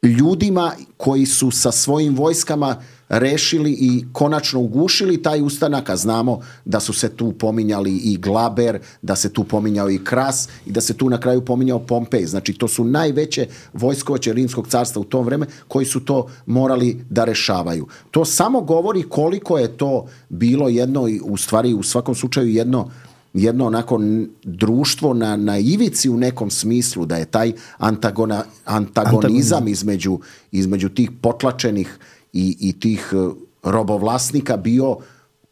S2: ljudima koji su sa svojim vojskama rešili i konačno ugušili taj ustanak, a znamo da su se tu pominjali i Glaber, da se tu pominjao i Kras i da se tu na kraju pominjao Pompej. Znači, to su najveće vojskovođe Rimskog carstva u tom vreme koji su to morali da rešavaju. To samo govori koliko je to bilo jedno, u stvari u svakom slučaju jedno jedno onako društvo na, na ivici u nekom smislu, da je taj antagona, antagonizam između, između tih potlačenih i, i tih robovlasnika bio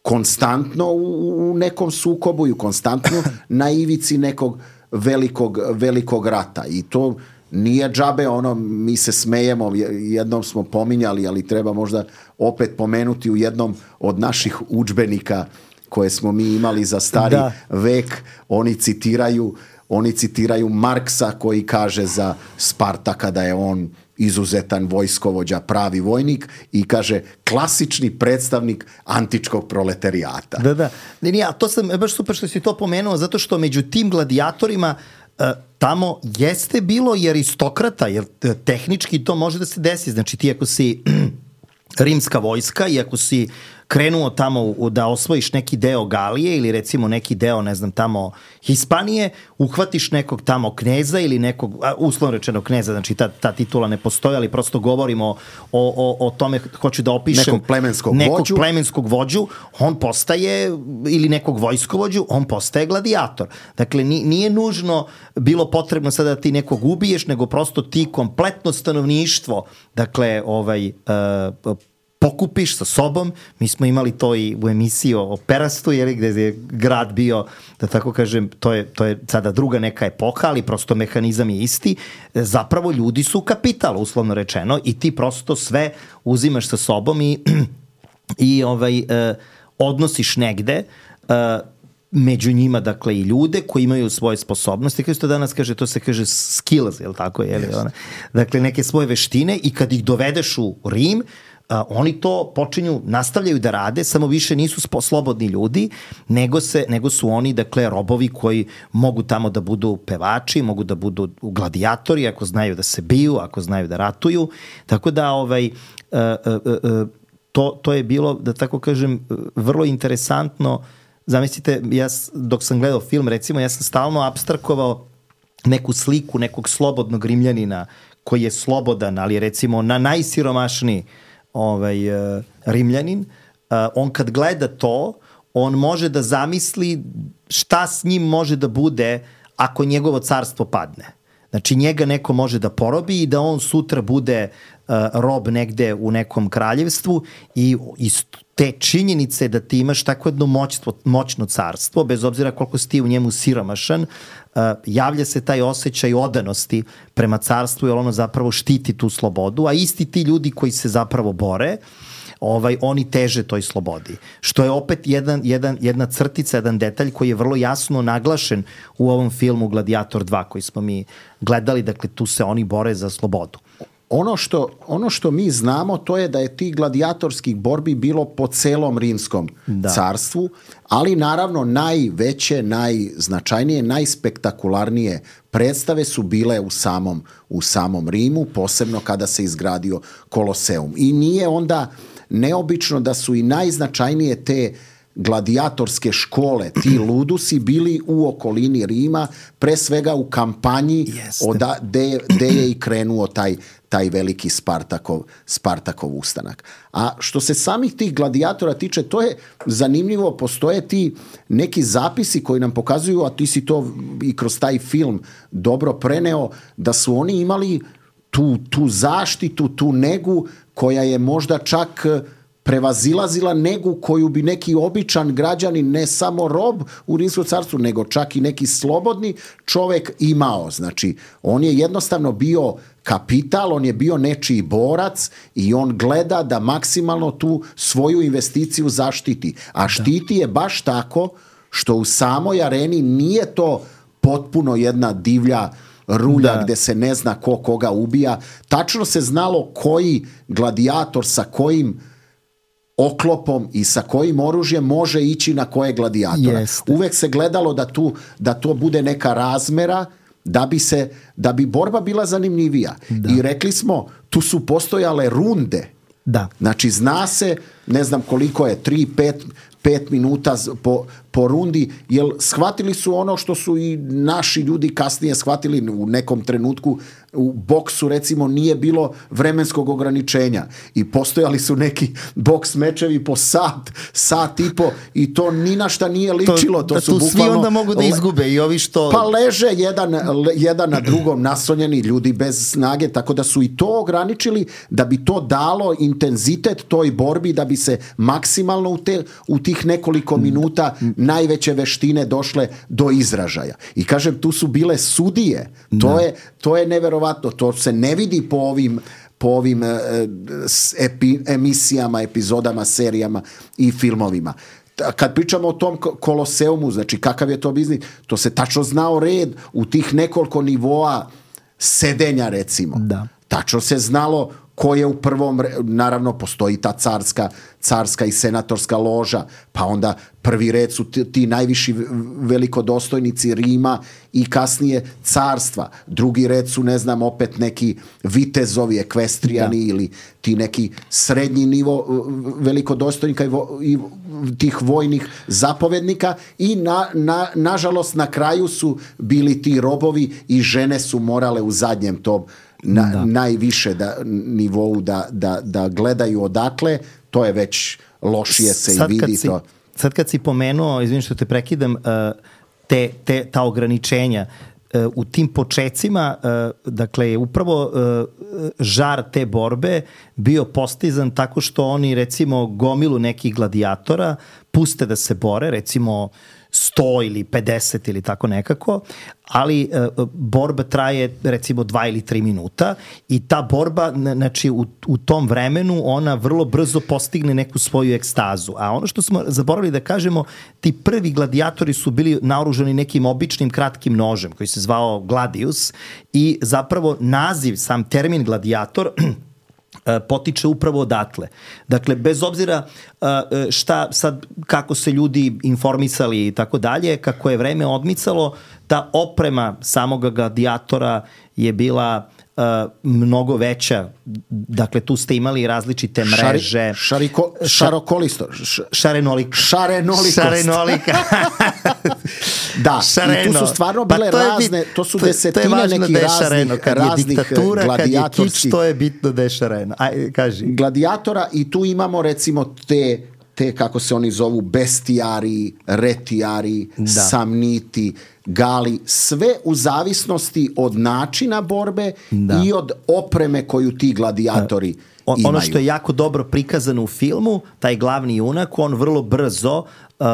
S2: konstantno u, u nekom sukobu i konstantno na ivici nekog velikog, velikog rata. I to nije džabe, ono, mi se smejemo, jednom smo pominjali, ali treba možda opet pomenuti u jednom od naših udžbenika koje smo mi imali za stari da. vek, oni citiraju, oni citiraju Marksa koji kaže za Spartaka da je on izuzetan vojskovođa, pravi vojnik i kaže klasični predstavnik antičkog proletarijata.
S4: Da, da. Ne, nije, a to sam baš super što si to pomenuo, zato što među tim gladijatorima uh, tamo jeste bilo i aristokrata, jer tehnički to može da se desi. Znači ti ako si rimska vojska i ako si krenuo tamo da osvojiš neki deo Galije ili recimo neki deo, ne znam, tamo Hispanije, uhvatiš nekog tamo kneza ili nekog, uslovno rečeno kneza, znači ta, ta titula ne postoji, ali prosto govorimo o, o, o tome, hoću da opišem
S2: nekog plemenskog
S4: nekog
S2: vođu.
S4: plemenskog vođu, on postaje, ili nekog vojskovođu, on postaje gladijator. Dakle, nije nužno bilo potrebno sada da ti nekog ubiješ, nego prosto ti kompletno stanovništvo, dakle, ovaj, uh, pokupiš sa sobom. Mi smo imali to i u emisiji o Perastu, jer gde je grad bio, da tako kažem, to je, to je sada druga neka epoha, ali prosto mehanizam je isti. Zapravo ljudi su kapital, uslovno rečeno, i ti prosto sve uzimaš sa sobom i, i ovaj, eh, odnosiš negde, eh, među njima, dakle, i ljude koji imaju svoje sposobnosti, kao što danas kaže, to se kaže skills, je li tako? Je li, yes. Ona? Dakle, neke svoje veštine i kad ih dovedeš u Rim, Uh, oni to počinju, nastavljaju da rade, samo više nisu spo, slobodni ljudi, nego, se, nego su oni, dakle, robovi koji mogu tamo da budu pevači, mogu da budu gladijatori, ako znaju da se biju, ako znaju da ratuju. Tako da, ovaj, uh, uh, uh, to, to je bilo, da tako kažem, vrlo interesantno. Zamislite, ja dok sam gledao film, recimo, ja sam stalno apstrakovao neku sliku nekog slobodnog Rimljanina koji je slobodan, ali recimo na najsiromašniji ovaj, uh, Rimljanin, uh, on kad gleda to, on može da zamisli šta s njim može da bude ako njegovo carstvo padne. Znači njega neko može da porobi i da on sutra bude uh, rob negde u nekom kraljevstvu i iz te činjenice da ti imaš tako jedno moćstvo, moćno carstvo, bez obzira koliko si ti u njemu siromašan, uh, javlja se taj osjećaj odanosti prema carstvu, jer ono zapravo štiti tu slobodu, a isti ti ljudi koji se zapravo bore, ovaj, oni teže toj slobodi. Što je opet jedan, jedan, jedna crtica, jedan detalj koji je vrlo jasno naglašen u ovom filmu Gladiator dva koji smo mi gledali, dakle tu se oni bore za slobodu.
S2: Ono što, ono što mi znamo to je da je tih gladijatorskih borbi bilo po celom rimskom da. carstvu, ali naravno najveće, najznačajnije, najspektakularnije predstave su bile u samom, u samom Rimu, posebno kada se izgradio Koloseum. I nije onda neobično da su i najznačajnije te gladijatorske škole, ti ludusi bili u okolini Rima, pre svega u kampanji oda, de, de je i krenuo taj, taj veliki Spartakov, Spartakov ustanak. A što se samih tih gladijatora tiče, to je zanimljivo, postoje ti neki zapisi koji nam pokazuju, a ti si to i kroz taj film dobro preneo, da su oni imali tu, tu zaštitu, tu negu koja je možda čak prevazilazila negu koju bi neki običan građanin, ne samo rob u Rimskom carstvu, nego čak i neki slobodni čovek imao. Znači, on je jednostavno bio kapital, on je bio nečiji borac i on gleda da maksimalno tu svoju investiciju zaštiti. A štiti je baš tako što u samoj areni nije to potpuno jedna divlja rulja da. Gde se ne zna ko koga ubija. Tačno se znalo koji gladijator sa kojim oklopom i sa kojim oružjem može ići na koje gladijatora. Jeste. Uvek se gledalo da, tu, da to bude neka razmera da bi, se, da bi borba bila zanimljivija. Da. I rekli smo, tu su postojale runde. Da. Znači zna se, ne znam koliko je, tri, pet, pet minuta po, po rundi, jer shvatili su ono što su i naši ljudi kasnije shvatili u nekom trenutku. U boksu recimo nije bilo vremenskog ograničenja i postojali su neki boks mečevi po sat, sat i po i to ni na šta nije ličilo. To,
S4: to
S2: su
S4: tu
S2: bukvalno,
S4: svi onda mogu da izgube i ovi što...
S2: Pa leže jedan, jedan na drugom naslonjeni ljudi bez snage, tako da su i to ograničili da bi to dalo intenzitet toj borbi, da bi se maksimalno u, te, u tih nekoliko minuta najveće veštine došle do izražaja. I kažem, tu su bile sudije. To da. je, to je neverovatno. To se ne vidi po ovim, po ovim epi, emisijama, epizodama, serijama i filmovima. Kad pričamo o tom Koloseumu, znači kakav je to biznis, to se tačno znao red u tih nekoliko nivoa sedenja, recimo. Da. Tačno se znalo ko je u prvom, naravno postoji ta carska, carska i senatorska loža, pa onda prvi red su ti, ti najviši velikodostojnici Rima i kasnije carstva. Drugi red su, ne znam, opet neki vitezovi, ekvestrijani da. Ili ti neki srednji nivo velikodostojnika i, vo, i tih vojnih zapovednika i na, na, nažalost na kraju su bili ti robovi i žene su morale u zadnjem tom Na, da. najviše da, nivou da, da, da gledaju odakle, to je već lošije se sad i vidi
S4: si,
S2: to.
S4: Sad kad si pomenuo, izvini što te prekidam, te, te, ta ograničenja, u tim počecima, dakle, je upravo žar te borbe bio postizan tako što oni, recimo, gomilu nekih gladijatora puste da se bore, recimo sto ili pedeset ili tako nekako, ali e, borba traje recimo dva ili tri minuta i ta borba, znači u, u tom vremenu ona vrlo brzo postigne neku svoju ekstazu. A ono što smo zaboravili da kažemo, ti prvi gladijatori su bili naoružani nekim običnim kratkim nožem koji se zvao gladius i zapravo naziv, sam termin gladijator potiče upravo odatle. Dakle, bez obzira šta sad, kako se ljudi informisali i tako dalje, kako je vreme odmicalo, ta oprema samog gladijatora je bila uh, mnogo veća. Dakle, tu ste imali različite mreže.
S2: Šari, šariko, šarokolisto. Š,
S4: šarenolik.
S2: Šarenolikost.
S4: Šarenolika.
S2: Da,
S4: šareno.
S2: I tu su stvarno bile
S4: pa to
S2: razne, to su
S4: to,
S2: desetine
S4: to je
S2: nekih raznih,
S4: kad
S2: raznih
S4: je diktatura,
S2: gladijatorskih.
S4: kad je kič, to je bitno da je šareno. Aj, kaži.
S2: Gladijatora i tu imamo recimo te te, kako se oni zovu, bestijari, retijari, da. samniti, gali, sve u zavisnosti od načina borbe da. i od opreme koju ti gladijatori
S4: o,
S2: imaju.
S4: Ono što je jako dobro prikazano u filmu, taj glavni junak, on vrlo brzo uh,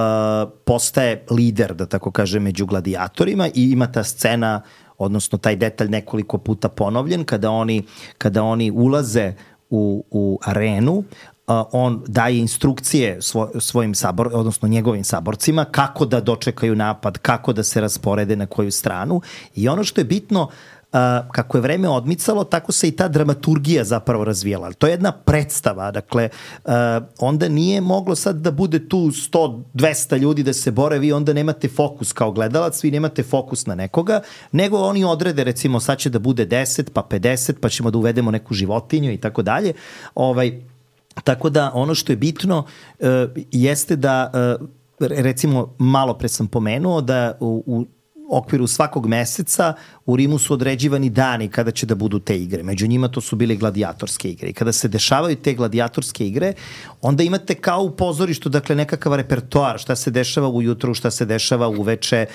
S4: postaje lider, da tako kaže, među gladijatorima i ima ta scena, odnosno taj detalj nekoliko puta ponovljen, kada oni, kada oni ulaze u, u arenu, Uh, on daje instrukcije svo, svojim sabor, odnosno njegovim saborcima kako da dočekaju napad, kako da se rasporede na koju stranu i ono što je bitno, uh, kako je vreme odmicalo, tako se i ta dramaturgija zapravo razvijala. To je jedna predstava, dakle, uh, onda nije moglo sad da bude tu sto dvesta ljudi da se bore, vi onda nemate fokus kao gledalac, vi nemate fokus na nekoga, nego oni odrede, recimo, sad će da bude deset, pa pedeset, pa ćemo da uvedemo neku životinju i tako dalje. Ovaj, Tako da ono što je bitno uh, jeste da, uh, recimo, malo pre sam pomenuo da u, u okviru svakog meseca u Rimu su određivani dani kada će da budu te igre. Među njima to su bile gladijatorske igre. I kada se dešavaju te gladijatorske igre, onda imate kao u pozorištu, dakle, nekakav repertoar, šta se dešava ujutru, šta se dešava uveče,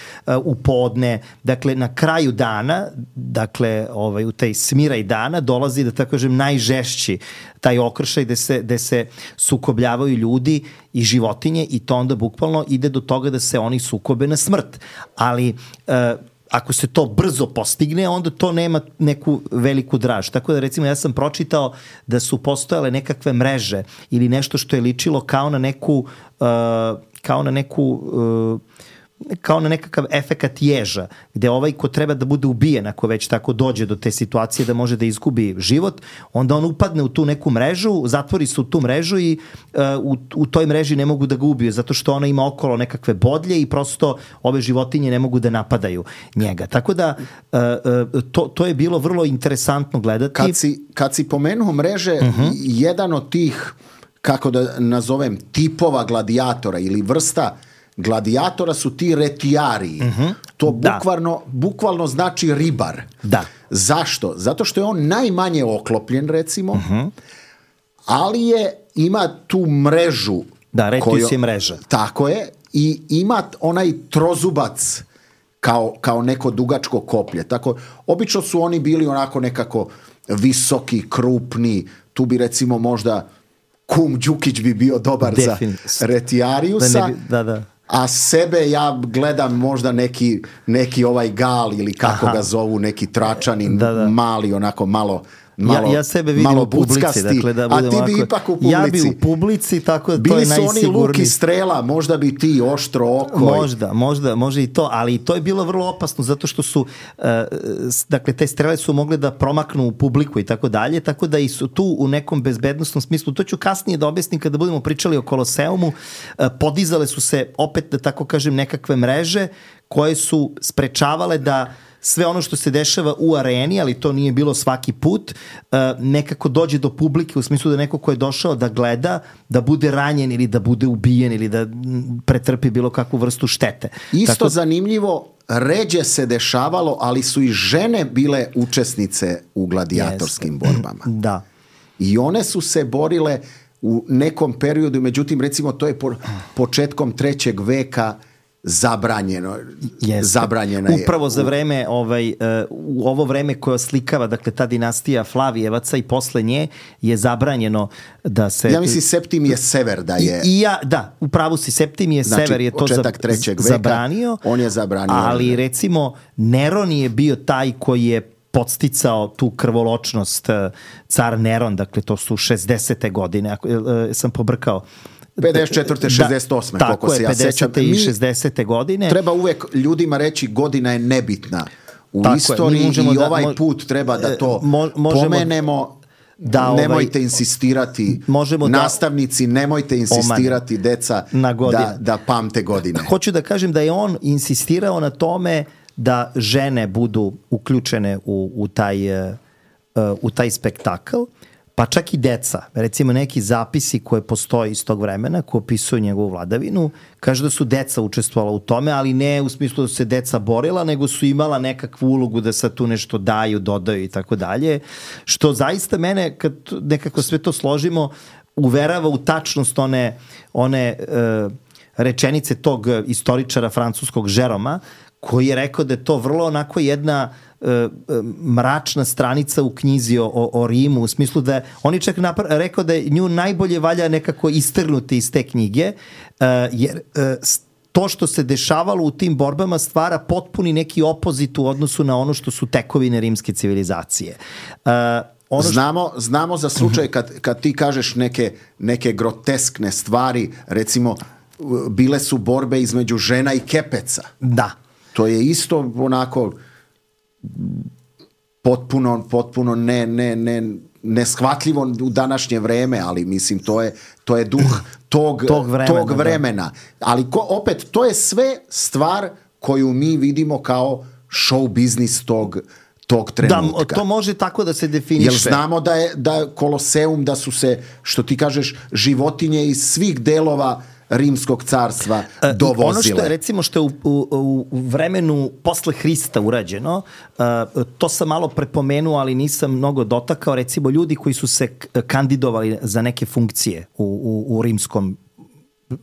S4: u podne. Dakle, na kraju dana, dakle, ovaj, u tej smiraj dana dolazi, da tako kažem, najžešći taj okršaj gde se, gde se sukobljavaju ljudi i životinje i to onda bukvalno ide do toga da se oni sukobe na smrt. Ali e, ako se to brzo postigne, onda to nema neku veliku draž. Tako da, recimo, ja sam pročitao da su postojale nekakve mreže ili nešto što je ličilo kao na neku uh, kao na neku uh, kao na nekakav efekat ježa, gde ovaj ko treba da bude ubijen, ako već tako dođe do te situacije da može da izgubi život, onda on upadne u tu neku mrežu, zatvori se u tu mrežu i uh, u, u toj mreži ne mogu da ga ubiju, zato što ona ima okolo nekakve bodlje i prosto ove životinje ne mogu da napadaju njega. Tako da uh, uh, to, to je bilo vrlo interesantno gledati.
S2: Kad si, kad si pomenuo mreže, uh-huh. jedan od tih, kako da nazovem, tipova gladijatora ili vrsta gladijatora su ti retijari. Uh-huh. To bukvalno, bukvalno znači ribar.
S4: Da.
S2: Zašto? Zato što je on najmanje oklopljen, recimo, uh-huh. ali je, ima tu mrežu.
S4: Da, retijus je mreža.
S2: Tako je. I ima onaj trozubac kao, kao neko dugačko koplje. Tako, obično su oni bili onako nekako visoki, krupni. Tu bi, recimo, možda Kum Đukić bi bio dobar Defin. za retijariusa. Da, ne bi, da, da. A sebe ja gledam možda neki, neki ovaj gal ili kako Aha. ga zovu, neki tračanin, da, da. mali, onako malo, malo,
S4: ja, ja sebe vidim
S2: malo
S4: u publici, dakle, da
S2: a ti bi ovako, ipak u publici.
S4: Ja bi u publici, tako da to
S2: bili
S4: je najsigurniji.
S2: Bili su oni luk i strela, možda bi ti oštro oko.
S4: Možda, možda, može i to, ali to je bilo vrlo opasno zato što su, uh, dakle, te strele su mogle da promaknu u publiku i tako dalje, tako da i su tu u nekom bezbednostnom smislu. To ću kasnije da objasnim kada budemo pričali o Koloseumu. Uh, podizale su se, opet da tako kažem, nekakve mreže koje su sprečavale da sve ono što se dešava u areni, ali to nije bilo svaki put, nekako dođe do publike u smislu da neko ko je došao da gleda, da bude ranjen ili da bude ubijen ili da pretrpi bilo kakvu vrstu štete.
S2: Isto
S4: Tako...
S2: zanimljivo, ređe se dešavalo, ali su i žene bile učesnice u gladijatorskim Jeste. borbama.
S4: Da.
S2: I one su se borile u nekom periodu, međutim, recimo, to je po, početkom trećeg veka zabranjeno.
S4: Jeste.
S2: Zabranjena je.
S4: Upravo za vreme, ovaj, uh, u ovo vreme koje oslikava, dakle, ta dinastija Flavijevaca i posle nje je zabranjeno da se...
S2: Ja mislim, Septimije Sever da je...
S4: I, i ja, da, upravo si, Septimije
S2: znači,
S4: Sever je to za,
S2: trećeg veka,
S4: zabranio.
S2: On je zabranio.
S4: Ali, recimo, Neron je bio taj koji je podsticao tu krvoločnost, car Neron, dakle, to su šezdesete godine, ako, uh, sam pobrkao,
S2: pedeset četvrte šezdeset osme
S4: Da,
S2: koliko se ja sećam.
S4: pedeset i šezdesete godine.
S2: Treba uvek ljudima reći godina je nebitna u tako istoriji je, i da, ovaj mo, put treba da to mo, možemo, pomenemo. Da, nemojte ovaj, insistirati, nastavnici,
S4: da,
S2: nemojte insistirati, oman, deca, da, da pamte godine.
S4: Hoću da kažem da je on insistirao na tome da žene budu uključene u, u, taj, uh, u taj spektakl, pa čak i deca. Recimo neki zapisi koje postoje iz tog vremena, koje opisuju njegovu vladavinu, kaže da su deca učestvovala u tome, ali ne u smislu da su se deca borila, nego su imala nekakvu ulogu da sad tu nešto daju, dodaju i tako dalje. Što zaista mene, kad nekako sve to složimo, uverava u tačnost one, one uh, rečenice tog istoričara francuskog Žeroma, koji je rekao da je to vrlo onako jedna uh, mračna stranica u knjizi o, o, o Rimu, u smislu da on je čak napra- rekao da je nju najbolje valja nekako istrgnuti iz te knjige, uh, jer uh, to što se dešavalo u tim borbama stvara potpuni neki opozit u odnosu na ono što su tekovine rimske civilizacije. Uh, ono što...
S2: znamo, znamo za slučaj kad, kad ti kažeš neke, neke groteskne stvari, recimo bile su borbe između žena i kepeca.
S4: Da.
S2: To je isto onako potpuno, potpuno ne, ne, ne, neshvatljivo u današnje vreme, ali mislim to je, to je duh tog, tog vremena. Tog vremena. Ali ko, opet, to je sve stvar koju mi vidimo kao show biznis tog, tog trenutka.
S4: Da, to može tako da se definiše.
S2: Jer znamo da je da Koloseum, da su se, što ti kažeš, životinje iz svih delova Rimskog carstva dovozile.
S4: Ono što je, recimo, što je u, u, u vremenu posle Hrista urađeno, to sam malo prepomenuo, ali nisam mnogo dotakao, recimo ljudi koji su se kandidovali za neke funkcije u, u, u rimskom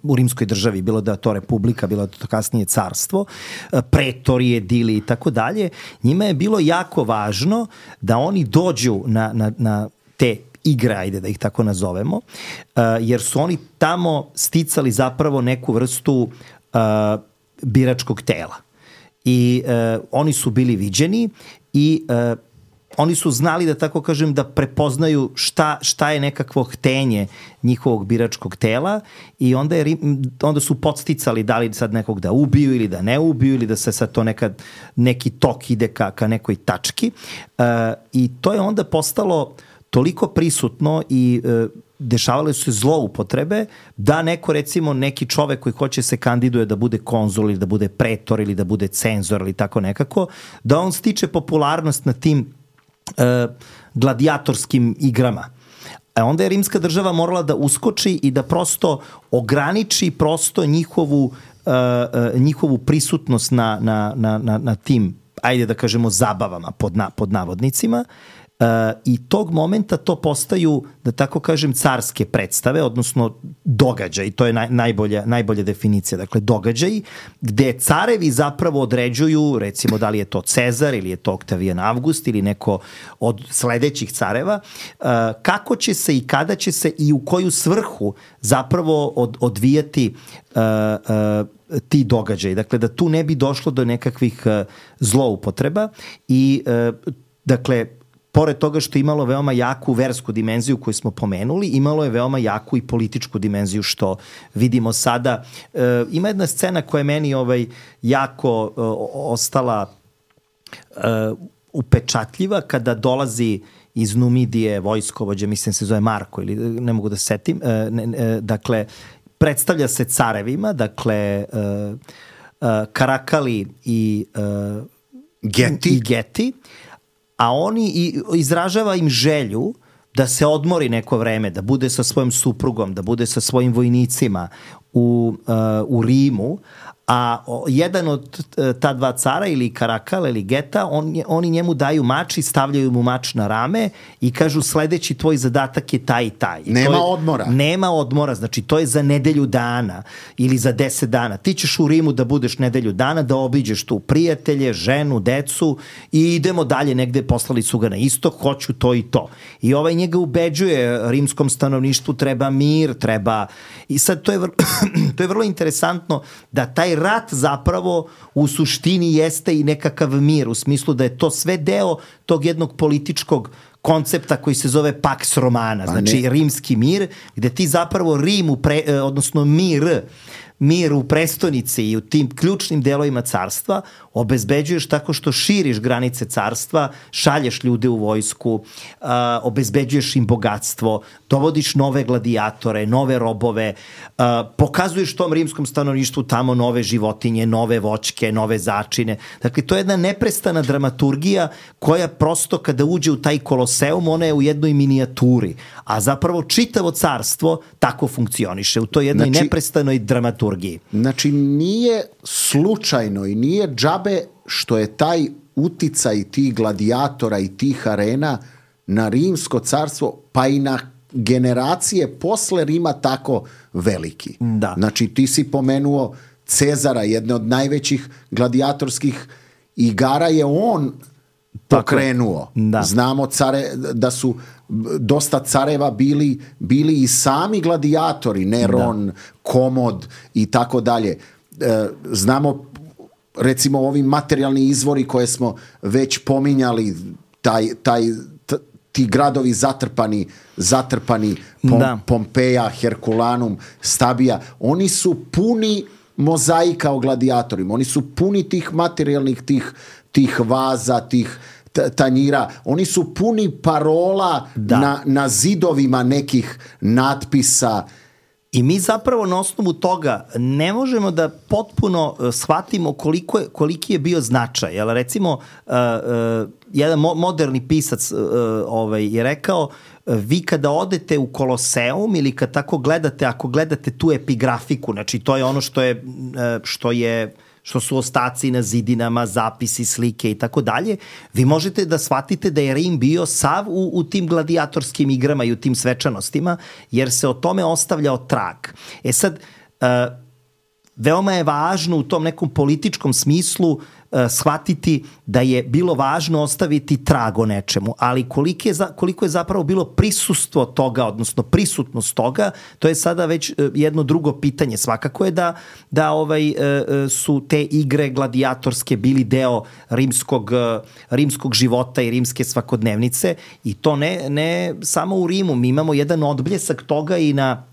S4: u rimskoj državi, bilo da je to republika, bilo da je to kasnije carstvo, pretorije, dili i tako dalje, njima je bilo jako važno da oni dođu na, na, na te igre, ajde da ih tako nazovemo, uh, jer su oni tamo sticali zapravo neku vrstu uh, biračkog tela. I uh, oni su bili viđeni i uh, oni su znali, da tako kažem, da prepoznaju šta, šta je nekakvo htenje njihovog biračkog tela i onda, je, onda su podsticali da li sad nekog da ubiju ili da ne ubiju ili da se sad to nekad neki tok ide ka, ka nekoj tački. Uh, I to je onda postalo toliko prisutno i e, dešavale su se zloupotrebe da neko, recimo, neki čovek koji hoće se kandiduje da bude konzul ili da bude pretor ili da bude cenzor ili tako nekako, da on stiče popularnost na tim e, gladijatorskim igrama. A onda je rimska država morala da uskoči i da prosto ograniči prosto njihovu, e, e, njihovu prisutnost na, na, na, na, na tim, ajde da kažemo, zabavama pod, na, pod navodnicima. Uh, i tog momenta to postaju, da tako kažem, carske predstave, odnosno događaj, to je naj, najbolja, najbolja definicija, dakle događaj gde carevi zapravo određuju, recimo da li je to Cezar ili je to Oktavijan Avgust ili neko od sledećih careva, uh, kako će se i kada će se i u koju svrhu zapravo od, odvijati uh, uh, ti događaji. Dakle, da tu ne bi došlo do nekakvih uh, zloupotreba i uh, dakle, pored toga što je imalo veoma jaku versku dimenziju koju smo pomenuli, imalo je veoma jaku i političku dimenziju što vidimo sada. E, ima jedna scena koja je meni ovaj, jako e, ostala e, upečatljiva kada dolazi iz Numidije vojskovođa, mislim se zove Marko ili ne mogu da setim, e, ne, e, dakle, predstavlja se carevima, dakle, e, e, Karakali i, e,
S2: Geti.
S4: i Geti, a oni i izražava im želju da se odmori neko vreme, da bude sa svojom suprugom, da bude sa svojim vojnicima u, uh, u Rimu, a jedan od ta dva cara ili Karakal ili Geta, on, oni njemu daju mač i stavljaju mu mač na rame i kažu sledeći tvoj zadatak je taj i taj. I
S2: nema
S4: je,
S2: odmora.
S4: Nema odmora, znači to je za nedelju dana ili za deset dana. Ti ćeš u Rimu da budeš nedelju dana, da obiđeš tu prijatelje, ženu, decu i idemo dalje negde, poslali su ga na istok, hoću to i to. I ovaj njega ubeđuje, rimskom stanovništvu treba mir, treba... I sad to je, vrlo, to je vrlo interesantno da taj rat zapravo u suštini jeste i nekakav mir, u smislu da je to sve deo tog jednog političkog koncepta koji se zove Pax Romana, znači ne. Rimski mir, gde ti zapravo Rim, u pre, odnosno mir, mir u prestonici i u tim ključnim delovima carstva obezbeđuješ tako što širiš granice carstva, šalješ ljude u vojsku, uh, obezbeđuješ im bogatstvo, dovodiš nove gladiatore, nove robove, uh, pokazuješ tom rimskom stanovništvu tamo nove životinje, nove voćke, nove začine. Dakle, to je jedna neprestana dramaturgija koja prosto kada uđe u taj Koloseum, ona je u jednoj minijaturi, a zapravo čitavo carstvo tako funkcioniše u toj jednoj znači, neprestanoj dramaturgiji.
S2: Znači, nije slučajno i nije džabe što je taj uticaj tih gladijatora i tih arena na rimsko carstvo, pa i na, generacije posle Rima tako veliki.
S4: Da.
S2: Znači ti si pomenuo Cezara, jedne od najvećih gladijatorskih igara je on pokrenuo.
S4: Da.
S2: Znamo care, da su dosta careva bili, bili i sami gladijatori, Neron, da. Komod i tako dalje. E, znamo recimo ovi materijalni izvori koje smo već pominjali, taj, taj, t, ti gradovi zatrpani, zatrpani Pom, Pompeja, Herkulanum, Stabija, oni su puni mozaika o gladijatorima, oni su puni tih materijalnih, tih, tih vaza, tih tanjira, oni su puni parola na, na zidovima nekih natpisa.
S4: I mi zapravo na osnovu toga ne možemo da potpuno shvatimo koliko je, koliki je bio značaj. Jel, recimo, uh, uh, jedan mo- moderni pisac uh, ovaj, je rekao, uh, vi kada odete u Koloseum ili kad tako gledate, ako gledate tu epigrafiku, znači to je ono što je, uh, što je što su ostaci na zidinama, zapisi, slike i tako dalje, vi možete da shvatite da je Rim bio sav u, u tim gladijatorskim igrama i u tim svečanostima, jer se o tome ostavljao trag. E sad, uh, veoma je važno u tom nekom političkom smislu uh, shvatiti da je bilo važno ostaviti trag o nečemu, ali koliko je, za, koliko je zapravo bilo prisustvo toga, odnosno prisutnost toga, to je sada već uh, jedno drugo pitanje. Svakako je da, da ovaj, uh, su te igre gladijatorske bili deo rimskog, uh, rimskog života i rimske svakodnevnice i to ne, ne samo u Rimu. Mi imamo jedan odbljesak toga i na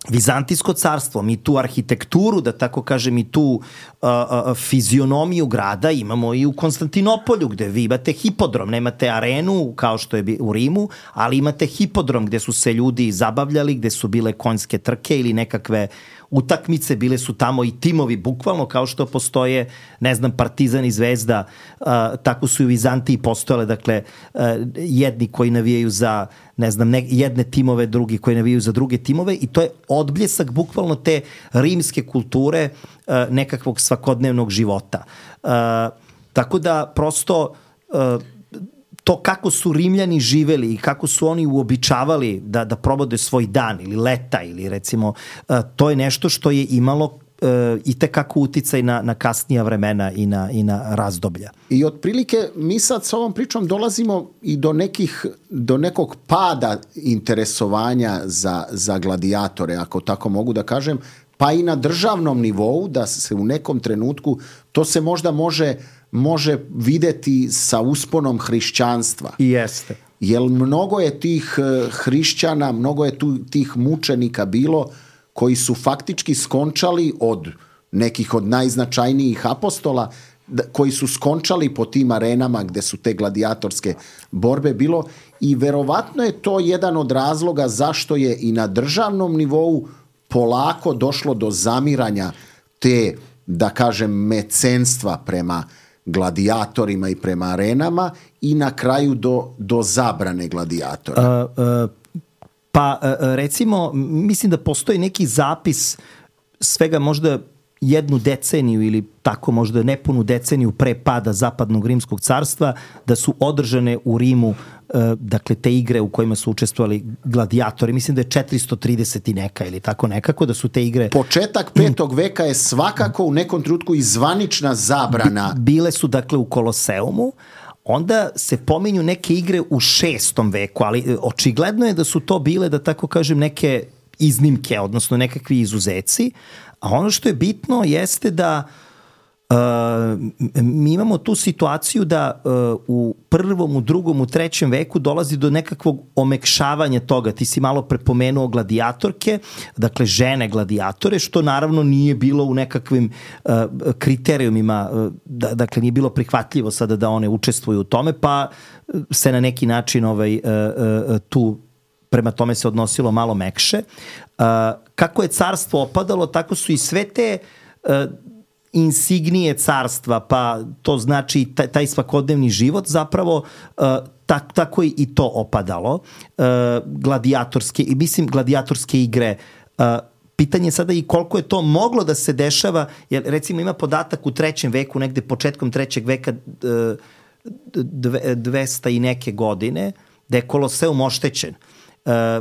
S4: Vizantijsko carstvo, mi tu arhitekturu, da tako kažem, i tu uh, uh, fizionomiju grada imamo i u Konstantinopolju, gde vi imate hipodrom, nemate arenu kao što je u Rimu, ali imate hipodrom gde su se ljudi zabavljali, gde su bile konjske trke ili nekakve utakmice, bile su tamo i timovi, bukvalno kao što postoje, ne znam, Partizan i Zvezda, uh, tako su i u Vizantiji postojale, dakle, uh, jedni koji navijaju za, ne znam, ne, jedne timove, drugi koji navijaju za druge timove i to je odbljesak bukvalno te rimske kulture, uh, nekakvog svakodnevnog života. Uh, tako da, prosto, uh, to kako su Rimljani živeli i kako su oni uobičavali da, da probode svoj dan ili leta ili recimo, uh, to je nešto što je imalo uh, i tekako uticaj na, na kasnija vremena i na, i na razdoblja.
S2: I otprilike mi sad s ovom pričom dolazimo i do nekih, do nekog pada interesovanja za, za gladiatore, ako tako mogu da kažem, pa i na državnom nivou, da se u nekom trenutku, to se možda može može videti sa usponom hrišćanstva.
S4: I jeste.
S2: Jer mnogo je tih hrišćana, mnogo je tu tih mučenika bilo koji su faktički skončali od nekih od najznačajnijih apostola, koji su skončali po tim arenama gde su te gladijatorske borbe bilo i verovatno je to jedan od razloga zašto je i na državnom nivou polako došlo do zamiranja te, da kažem, mecenstva prema gladijatorima i prema arenama i na kraju do, do zabrane gladijatora.
S4: Uh, uh, pa uh, recimo, mislim da postoji neki zapis svega možda jednu deceniju ili tako možda nepunu deceniju pre pada Zapadnog rimskog carstva, da su održane u Rimu dakle te igre u kojima su učestvovali gladijatori, mislim da je četiristo trideset i neka ili tako nekako, da su te igre...
S2: Početak petog veka je svakako u nekom trenutku i zvanična zabrana.
S4: Bile su dakle u Koloseumu, onda se pominju neke igre u šestom veku, ali očigledno je da su to bile, da tako kažem, neke iznimke, odnosno nekakvi izuzeci, a ono što je bitno jeste da Uh, mi imamo tu situaciju da uh, u prvom, u drugom, u trećem veku dolazi do nekakvog omekšavanja toga. Ti si malo prepomenuo gladijatorke, dakle žene gladiatore, što naravno nije bilo u nekakvim uh, kriterijumima, uh, da, dakle nije bilo prihvatljivo sada da one učestvuju u tome, pa se na neki način ovaj, uh, uh, tu prema tome se odnosilo malo mekše. Uh, kako je carstvo opadalo, tako su i sve te uh, insignije carstva, pa to znači taj, taj svakodnevni život zapravo uh, tak, tako i to opadalo. Uh, gladijatorske, i mislim gladijatorske igre, uh, pitanje je sada i koliko je to moglo da se dešava, jer recimo ima podatak u trećem veku, negde početkom trećeg veka, uh, dve, dvesta i neke godine, da je Koloseum oštećen.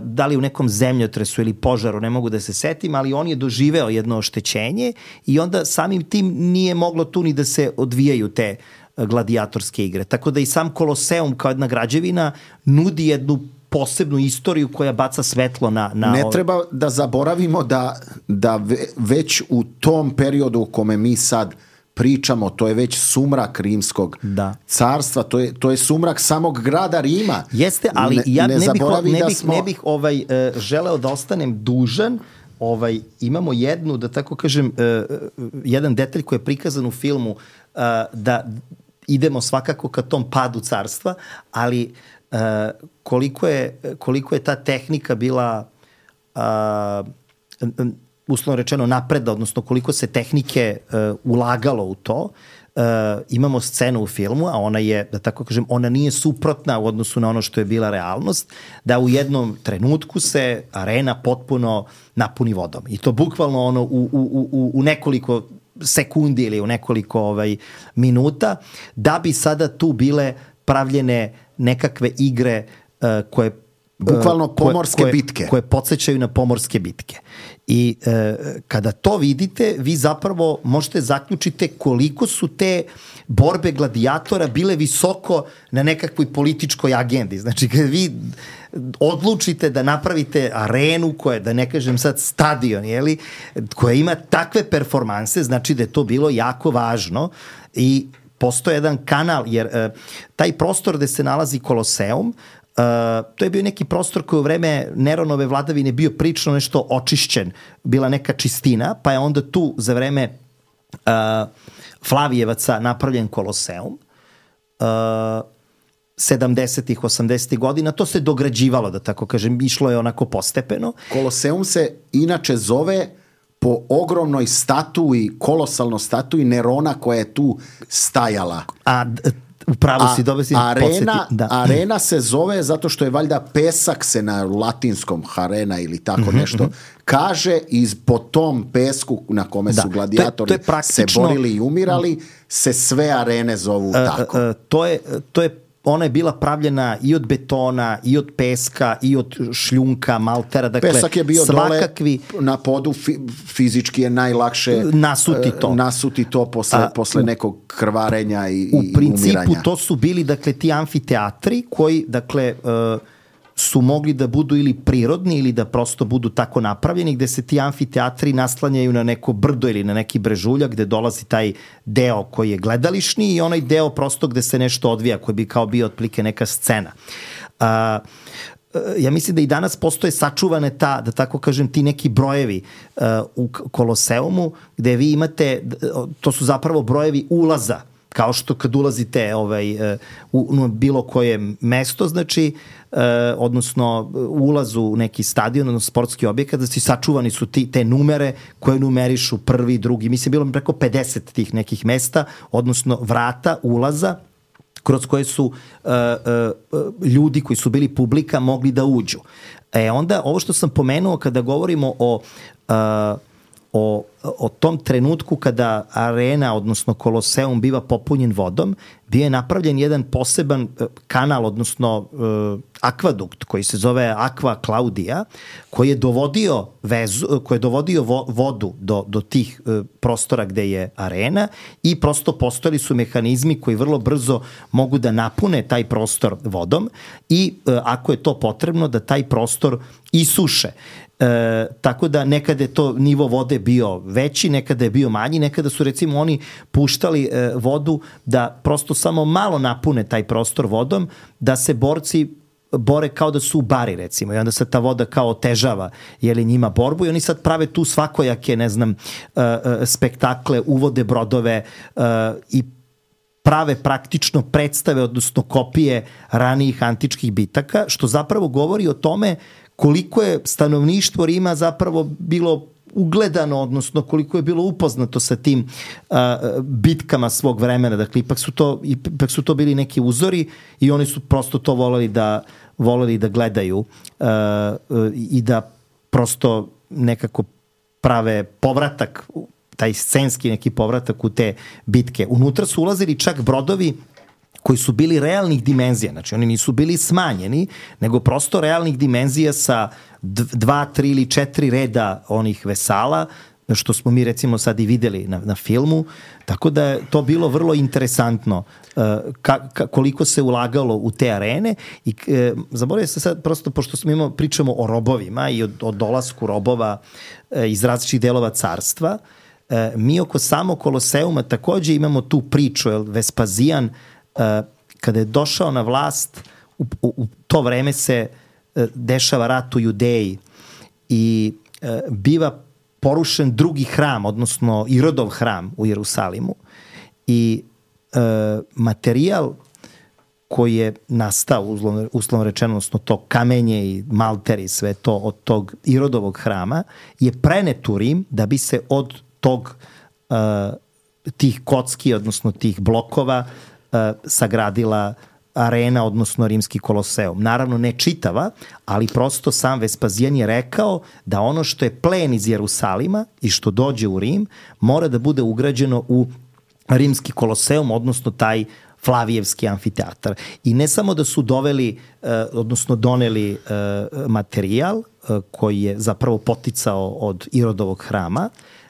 S4: da li u nekom zemljotresu ili požaru, ne mogu da se setim, ali on je doživeo jedno oštećenje i onda samim tim nije moglo tu ni da se odvijaju te gladijatorske igre. Tako da i sam Koloseum kao jedna građevina nudi jednu posebnu istoriju koja baca svetlo na... na
S2: ne treba da zaboravimo da, da već u tom periodu u kome mi sad pričamo, to je već sumrak rimskog
S4: da.
S2: carstva, to je, to je sumrak samog grada Rima.
S4: Jeste, ali ne, ja ne, ne bih, ne bih,
S2: smo...
S4: ne bih ovaj, uh, želeo da ostanem dužan. Ovaj, imamo jednu, da tako kažem, uh, jedan detalj koji je prikazan u filmu, uh, da idemo svakako ka tom padu carstva, ali uh, koliko, je, koliko je ta tehnika bila uh, uslovno rečeno napreda, odnosno koliko se tehnike uh, ulagalo u to. Uh, imamo scenu u filmu, a ona je, da tako kažem, ona nije suprotna u odnosu na ono što je bila realnost, da u jednom trenutku se arena potpuno napuni vodom. I to bukvalno ono u, u, u, u nekoliko sekundi ili u nekoliko ovaj, minuta, da bi sada tu bile pravljene nekakve igre uh, koje
S2: bukvalno pomorske
S4: koje,
S2: bitke.
S4: Koje podsjećaju na pomorske bitke. I e, kada to vidite, vi zapravo možete zaključiti koliko su te borbe gladijatora bile visoko na nekakvoj političkoj agendi. Znači, kada vi odlučite da napravite arenu koja, da ne kažem sad stadion, jeli, koja ima takve performanse, znači da je to bilo jako važno i postoje jedan kanal, jer e, taj prostor gde se nalazi Koloseum, Uh, to je bio neki prostor koji u vreme Neronove vladavine bio prično nešto očišćen, bila neka čistina, pa je onda tu za vreme uh, Flavijevaca napravljen Koloseum. Uh, sedamdesetih, osamdesetih godina, to se dograđivalo, da tako kažem, išlo je onako postepeno.
S2: Koloseum se inače zove po ogromnoj statui, kolosalno statui Nerona koja je tu stajala.
S4: A upravo si dobro si
S2: arena, da. Arena se zove zato što je valjda pesak se na latinskom harena ili tako mm-hmm, nešto mm-hmm. kaže i po tom pesku na kome da. su gladijatori to je, to je praktično, se borili i umirali se sve arene zovu uh, tako.
S4: Uh, to je, to je ona je bila pravljena i od betona, i od peska, i od šljunka, maltera. Dakle,
S2: pesak je bio
S4: svakakvi,
S2: dole na podu, fizički je najlakše
S4: nasuti to,
S2: nasuti to posle, A, posle nekog krvarenja i,
S4: u
S2: i
S4: principu
S2: umiranja.
S4: To su bili dakle, ti amfiteatri koji dakle, uh, su mogli da budu ili prirodni ili da prosto budu tako napravljeni, gde se ti amfiteatri naslanjaju na neko brdo ili na neki brežuljak gde dolazi taj deo koji je gledališni i onaj deo prosto gde se nešto odvija, koji bi kao bio otplike neka scena. Uh, ja mislim da i danas postoje sačuvane ta, da tako kažem, ti neki brojevi uh, u Koloseumu gde vi imate, to su zapravo brojevi ulaza, kao što kad ulazite ovaj, u, u bilo koje mesto, znači, eh, odnosno ulazu u neki stadion, odnosno sportski objekat, da si sačuvani su ti, te numere koje numerišu prvi, drugi. Mislim, bilo preko pedeset tih nekih mesta, odnosno vrata, ulaza, kroz koje su uh, uh, ljudi koji su bili publika mogli da uđu. E onda, ovo što sam pomenuo kada govorimo o... Uh, O, o tom trenutku kada arena, odnosno Koloseum biva popunjen vodom, bio je napravljen jedan poseban kanal, odnosno uh, akvadukt koji se zove Aqua Claudia, koji je dovodio vezu, koji je dovodio vo, vodu do, do tih uh, prostora gde je arena i prosto postojali su mehanizmi koji vrlo brzo mogu da napune taj prostor vodom i uh, ako je to potrebno da taj prostor isuše. E, tako da nekada je to nivo vode bio veći, nekada je bio manji, nekada su recimo oni puštali e, vodu da prosto samo malo napune taj prostor vodom, da se borci bore kao da su u bari recimo i onda se ta voda kao otežava jeli njima borbu i oni sad prave tu svakojake ne znam e, e, spektakle, uvode brodove e, i prave praktično predstave, odnosno kopije ranijih antičkih bitaka, što zapravo govori o tome koliko je stanovništvo Rima zapravo bilo ugledano, odnosno koliko je bilo upoznato sa tim uh, bitkama svog vremena. Dakle, ipak su, to, ipak su to bili neki uzori i oni su prosto to voleli da, voleli da gledaju uh, uh, i da prosto nekako prave povratak, taj scenski neki povratak u te bitke. Unutra su ulazili čak brodovi koji su bili realnih dimenzija, znači oni nisu bili smanjeni, nego prosto realnih dimenzija sa dva, tri ili četiri reda onih vesala, što smo mi recimo sad i videli na, na filmu, tako da je to bilo vrlo interesantno uh, ka, ka, koliko se ulagalo u te arene i uh, zaboravio se sad prosto, pošto smo imamo, pričamo o robovima i o, o dolasku robova uh, iz različitih delova carstva, uh, mi oko samog Koloseuma takođe imamo tu priču, jer Vespazijan uh, kada je došao na vlast, u, u, u to vreme se uh, dešava rat u Judeji i uh, biva porušen drugi hram, odnosno Irodov hram u Jerusalimu i e, materijal koji je nastao, uslovno, uslovno rečeno, odnosno to kamenje i malter i sve to od tog Irodovog hrama je prenet u Rim da bi se od tog e, tih kocki, odnosno tih blokova e, sagradila arena, odnosno rimski Koloseum. Naravno ne čitava, ali prosto sam Vespazijan je rekao da ono što je plen iz Jerusalima i što dođe u Rim mora da bude ugrađeno u rimski Koloseum, odnosno taj Flavijevski amfiteatar. I ne samo da su doveli, odnosno doneli materijal koji je zapravo poticao od Irodovog hrama,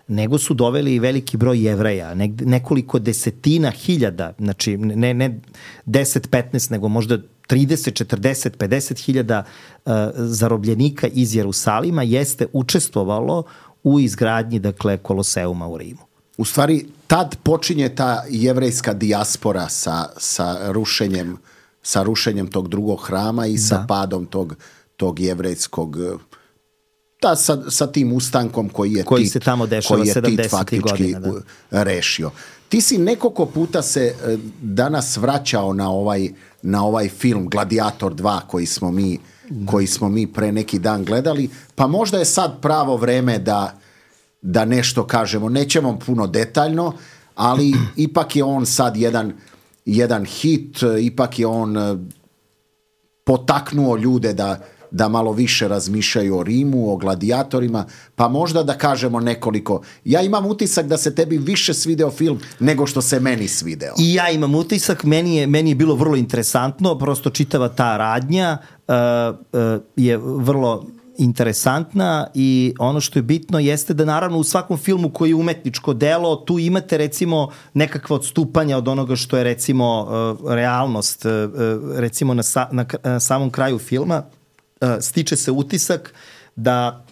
S4: nego su doveli i veliki broj Jevreja, nekoliko desetina hiljada, znači ne, ne deset, petnaest, nego možda trideset, četrdeset, pedeset hiljada uh, zarobljenika iz Jerusalima jeste učestvovalo u izgradnji, dakle, Koloseuma u Rimu.
S2: U stvari, tad počinje ta jevrejska dijaspora sa, sa, rušenjem, sa rušenjem tog drugog hrama i sa da. padom tog, tog jevrejskog... Da, sa, sa tim ustankom koji je
S4: koji
S2: Tit,
S4: se tamo dešava sedamdesetih godina, da.
S2: rešio. Ti si nekoliko puta se danas vraćao na ovaj, na ovaj film Gladiator dva koji smo, mi, koji smo mi pre neki dan gledali, pa možda je sad pravo vreme da, da nešto kažemo. Nećemo puno detaljno, ali ipak je on sad jedan, jedan hit, ipak je on potaknuo ljude da da malo više razmišljaju o Rimu, o gladijatorima, pa možda da kažemo nekoliko. Ja imam utisak da se tebi više svideo film nego što se meni svideo.
S4: I ja imam utisak, meni je, meni je bilo vrlo interesantno, prosto čitava ta radnja uh, uh, je vrlo interesantna i ono što je bitno jeste da naravno u svakom filmu koji je umetničko delo, tu imate recimo nekakva odstupanja od onoga što je recimo uh, realnost. Uh, recimo na, sa, na, na samom kraju filma Uh, stiče se utisak da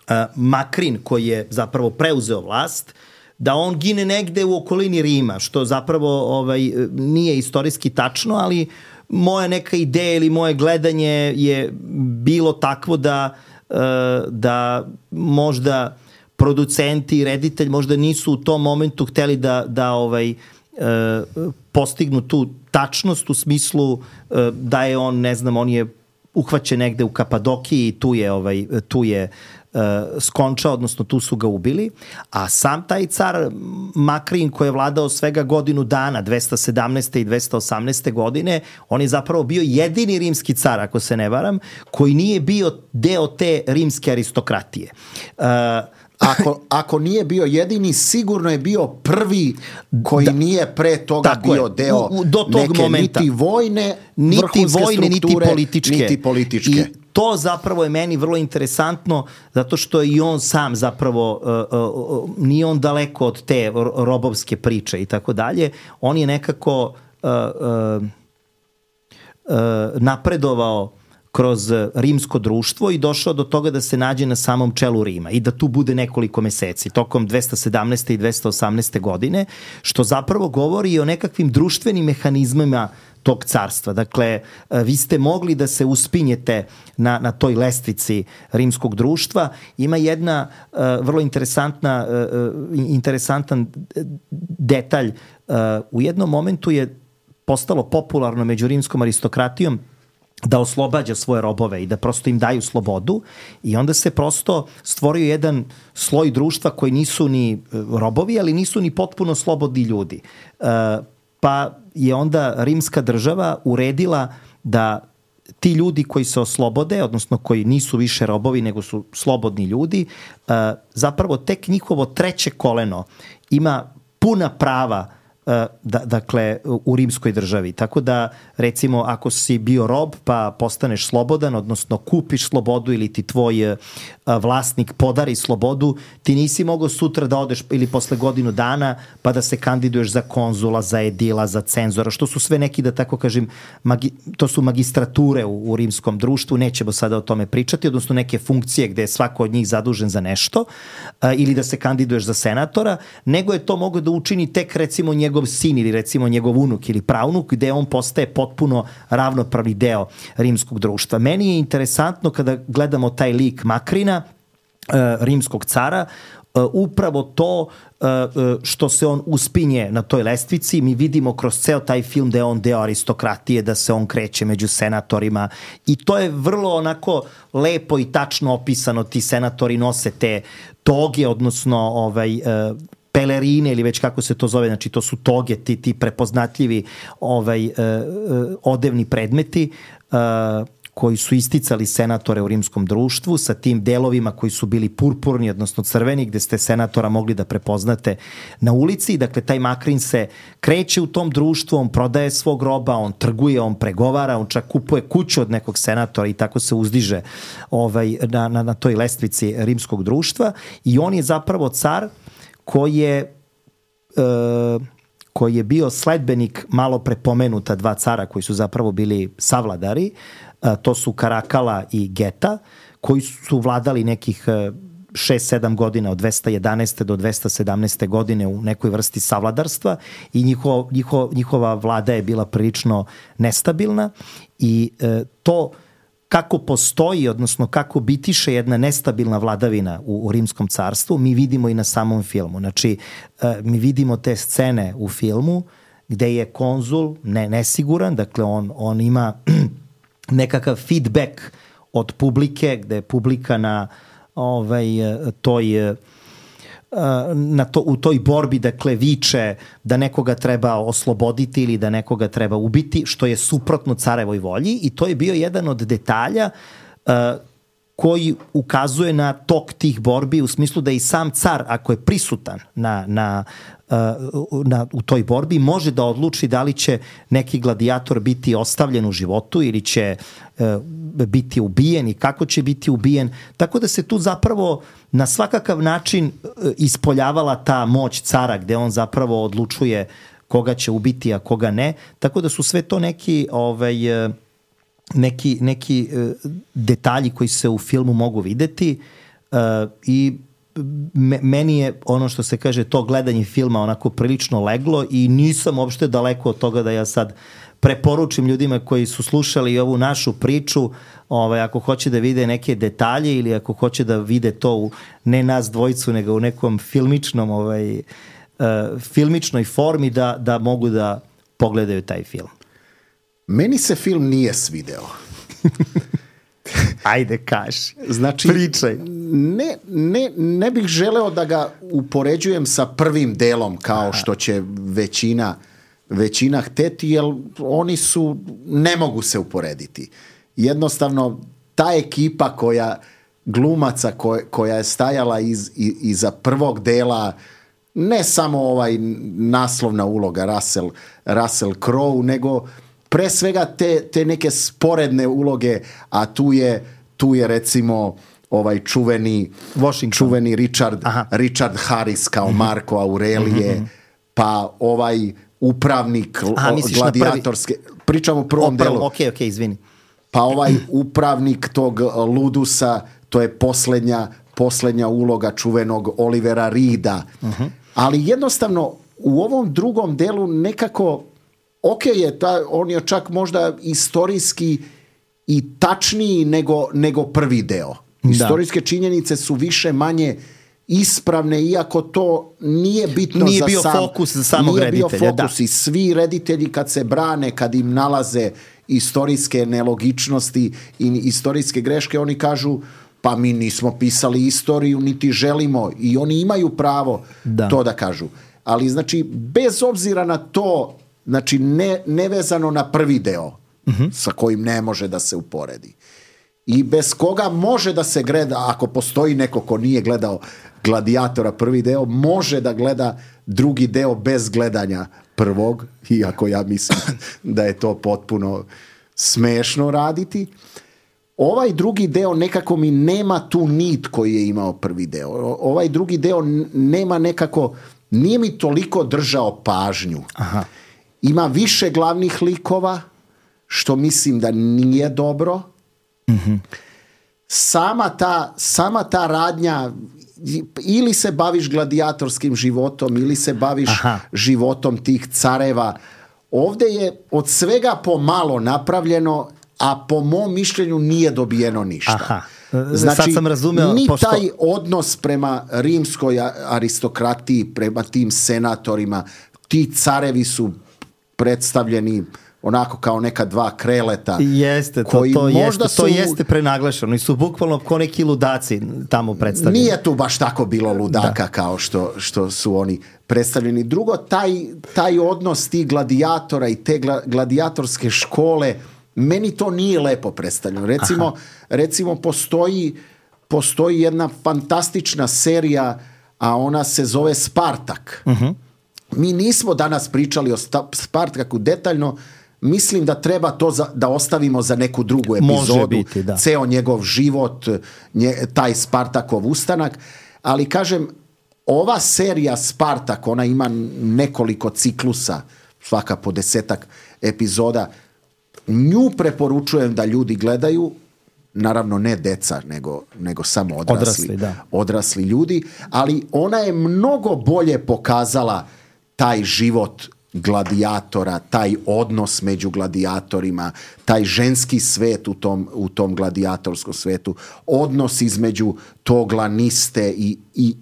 S4: uh, Makrin, koji je zapravo preuzeo vlast, da on gine negde u okolini Rima, što zapravo ovaj, nije istorijski tačno, ali moja neka ideja ili moje gledanje je bilo takvo da, uh, da možda producenti i reditelj možda nisu u tom momentu hteli da, da ovaj, uh, postignu tu tačnost u smislu uh, da je on, ne znam, on je uhvaćen negde u Kapadokiji i tu je, ovaj, tu je uh, skončao, odnosno tu su ga ubili, a sam taj car Makrin koji je vladao svega godinu dana, dvesta sedamnaeste i dvesta osamnaeste godine, on je zapravo bio jedini rimski car, ako se ne varam, koji nije bio deo te rimske aristokratije. Uh,
S2: Ako, ako nije bio jedini, sigurno je bio prvi koji da, nije pre toga bio je, deo u, u, do tog neke momenta. Niti vojne,
S4: niti vojne, niti političke.
S2: niti političke.
S4: I to zapravo je meni vrlo interesantno, zato što i on sam zapravo, uh, uh, nije on daleko od te robovske priče i tako dalje. On je nekako uh, uh, uh, napredovao kroz rimsko društvo i došao do toga da se nađe na samom čelu Rima i da tu bude nekoliko meseci tokom dvesta sedamnaeste i dvesta osamnaeste godine, što zapravo govori i o nekakvim društvenim mehanizmima tog carstva. Dakle, vi ste mogli da se uspinjete na, na toj lestvici rimskog društva. Ima jedna uh, vrlo interesantna, uh, interesantan detalj. Uh, u jednom momentu je postalo popularno među rimskom aristokratijom da oslobađa svoje robove i da prosto im daju slobodu i onda se prosto stvorio jedan sloj društva koji nisu ni robovi, ali nisu ni potpuno slobodni ljudi. Uh, pa je onda rimska država uredila da ti ljudi koji se oslobode, odnosno koji nisu više robovi nego su slobodni ljudi, uh, zapravo tek njihovo treće koleno ima puna prava da, dakle u rimskoj državi. Tako da recimo ako si bio rob pa postaneš slobodan, odnosno kupiš slobodu ili ti tvoj vlasnik podari slobodu, ti nisi mogao sutra da odeš ili posle godinu dana pa da se kandiduješ za konzula, za edila, za cenzora, što su sve neki, da tako kažem, magi, to su magistrature u, u rimskom društvu, nećemo sada o tome pričati, odnosno neke funkcije gde je svako od njih zadužen za nešto, a, ili da se kandiduješ za senatora, nego je to mogao da učini tek recimo njegov sin ili recimo njegov unuk ili pravnuk, gde on postaje potpuno ravnopravni deo rimskog društva. Meni je interesantno kada gledamo taj lik Makrina, rimskog cara, upravo to što se on uspinje na toj lestvici. Mi vidimo kroz ceo taj film da je on deo aristokratije, da se on kreće među senatorima i to je vrlo onako lepo i tačno opisano. Ti senatori nose te toge, odnosno ovaj, pelerine ili već kako se to zove, znači to su toge, ti, ti prepoznatljivi ovaj, odevni predmeti koji su isticali senatore u rimskom društvu sa tim delovima koji su bili purpurni, odnosno crveni, gde ste senatora mogli da prepoznate na ulici. Dakle, taj Makrin se kreće u tom društvu, on prodaje svog roba, on trguje, on pregovara, on čak kupuje kuću od nekog senatora i tako se uzdiže ovaj, na, na, na toj lestvici rimskog društva i on je zapravo car koji je... E, koji je bio sledbenik malo prepomenuta dva cara koji su zapravo bili savladari, to su Karakala i Geta, koji su vladali nekih šest sedam godina od dvesta jedanaeste do dvesta sedamnaeste godine u nekoj vrsti savladarstva i njiho, njiho, njihova vlada je bila prilično nestabilna i e, to kako postoji, odnosno kako bitiše jedna nestabilna vladavina u, u rimskom carstvu, mi vidimo i na samom filmu. Znači, e, mi vidimo te scene u filmu gde je konzul ne, nesiguran, dakle on, on ima nekakav feedback od publike, gde je publika na ovaj, toj... Na to, u toj borbi, dakle, viče da nekoga treba osloboditi ili da nekoga treba ubiti, što je suprotno carevoj volji i to je bio jedan od detalja uh, koji ukazuje na tok tih borbi u smislu da i sam car, ako je prisutan na, na, uh, na, u toj borbi, može da odluči da li će neki gladijator biti ostavljen u životu ili će uh, biti ubijen i kako će biti ubijen. Tako da se tu zapravo na svakakav način ispoljavala ta moć cara gde on zapravo odlučuje koga će ubiti, a koga ne. Tako da su sve to neki, ovaj, neki, neki detalji koji se u filmu mogu videti uh, i meni je ono što se kaže to gledanje filma onako prilično leglo i nisam uopšte daleko od toga da ja sad preporučim ljudima koji su slušali ovu našu priču, ovaj, ako hoće da vide neke detalje ili ako hoće da vide to u, ne nas dvojicu, nego u nekom filmičnom, ovaj, uh, filmičnoj formi da, da mogu da pogledaju taj film.
S2: Meni se film nije svideo.
S4: Ajde, kaži.
S2: Znači,
S4: pričaj.
S2: Ne, ne, ne bih želeo da ga upoređujem sa prvim delom kao Aha. što će većina većina hteti, jer oni su, ne mogu se uporediti. Jednostavno, ta ekipa koja, glumaca koja, koja je stajala iz, iz, iza prvog dela, ne samo ovaj naslovna uloga Russell, Russell Crowe, nego pre svega te, te neke sporedne uloge, a tu je, tu je recimo ovaj čuveni, čuveni Richard, Richard Harris kao Marko Aurelije, mm-hmm. pa ovaj upravnik Aha, gladijatorske, pričamo o prvom o, prvom, delu.
S4: Ok, ok, izvini.
S2: Pa ovaj upravnik tog Ludusa, to je poslednja, poslednja uloga čuvenog Olivera Reeda. Uh-huh. Ali jednostavno u ovom drugom delu nekako, ok je, ta, on je čak možda istorijski i tačniji nego, nego prvi deo. Istorijske da. činjenice su više manje ispravne, iako to nije bitno
S4: nije
S2: za
S4: bio
S2: sam,
S4: fokus za samog
S2: nije
S4: reditelja.
S2: Bio fokus da. I svi reditelji kad se brane, kad im nalaze istorijske nelogičnosti i istorijske greške, oni kažu pa mi nismo pisali istoriju, niti želimo, i oni imaju pravo da. to da kažu. Ali znači, bez obzira na to, znači ne, nevezano na prvi deo, uh-huh. sa kojim ne može da se uporedi. I bez koga može da se gleda, ako postoji neko ko nije gledao Gladijatora prvi deo, može da gleda drugi deo bez gledanja prvog, iako ja mislim da je to potpuno smešno raditi. Ovaj drugi deo nekako mi nema tu nit koji je imao prvi deo. Ovaj drugi deo nema nekako, nije mi toliko držao pažnju.
S4: Aha.
S2: Ima više glavnih likova, što mislim da nije dobro. Mm-hmm. Sama ta, sama ta radnja, ili se baviš gladijatorskim životom, ili se baviš Aha. životom tih careva. Ovdje je od svega pomalo napravljeno, a po mom mišljenju nije dobijeno ništa.
S4: Aha.
S2: Znači,
S4: sad sam razumeo,
S2: ni
S4: pošto...
S2: taj odnos prema rimskoj aristokratiji, prema tim senatorima, ti carevi su predstavljeni onako kao neka dva kreleta.
S4: Jeste, to,
S2: koji
S4: to,
S2: možda
S4: jeste,
S2: su,
S4: to jeste prenaglašeno i su bukvalno kao neki ludaci tamo predstavljeni.
S2: Nije tu baš tako bilo ludaka da. kao što, što su oni predstavljeni. Drugo, taj, taj odnos tih gladijatora i te gla, gladijatorske škole, meni to nije lepo predstavljeno. Recimo, recimo postoji, postoji jedna fantastična serija, a ona se zove Spartak. Uh-huh. Mi nismo danas pričali o Spartaku detaljno, mislim da treba to za, da ostavimo za neku drugu epizodu.
S4: Može biti, da.
S2: Ceo njegov život, nje, taj Spartakov ustanak. Ali kažem, ova serija Spartak, ona ima nekoliko ciklusa, svaka po desetak epizoda. Nju preporučujem da ljudi gledaju, naravno ne deca, nego, nego samo odrasli,
S4: odrasli, da.
S2: odrasli ljudi, ali ona je mnogo bolje pokazala taj život gladijatora, taj odnos među gladijatorima, taj ženski svet u tom, u tom gladijatorskom svetu, odnos između tog laniste i, i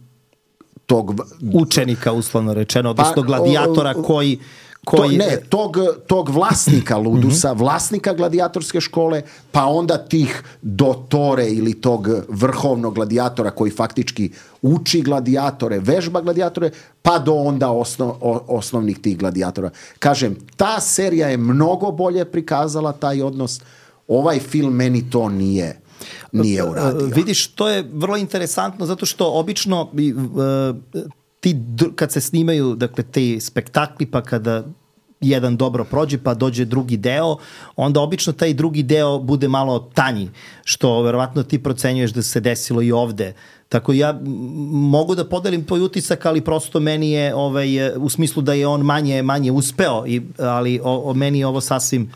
S2: tog...
S4: učenika, uslovno rečeno, odnosno pa, gladijatora koji... koji...
S2: To, ne, tog, tog vlasnika ludusa, vlasnika gladijatorske škole, pa onda tih dotore ili tog vrhovnog gladijatora koji faktički uči gladiatore, vežba gladiatore, pa do onda osnov, osnovnih tih gladijatora. Kažem, ta serija je mnogo bolje prikazala taj odnos. Ovaj film meni to nije nije uradio.
S4: Vidiš, to je vrlo interesantno zato što obično uh, ti, kad se snimaju, dakle, te spektakli, pa kada jedan dobro prođe, pa dođe drugi deo, onda obično taj drugi deo bude malo tanji, što verovatno ti procenjuješ da se desilo i ovde. Tako ja mogu da podelim tvoj utisak, ali prosto meni je, ovaj, u smislu da je on manje, manje uspeo, i, ali o, o meni je ovo sasvim,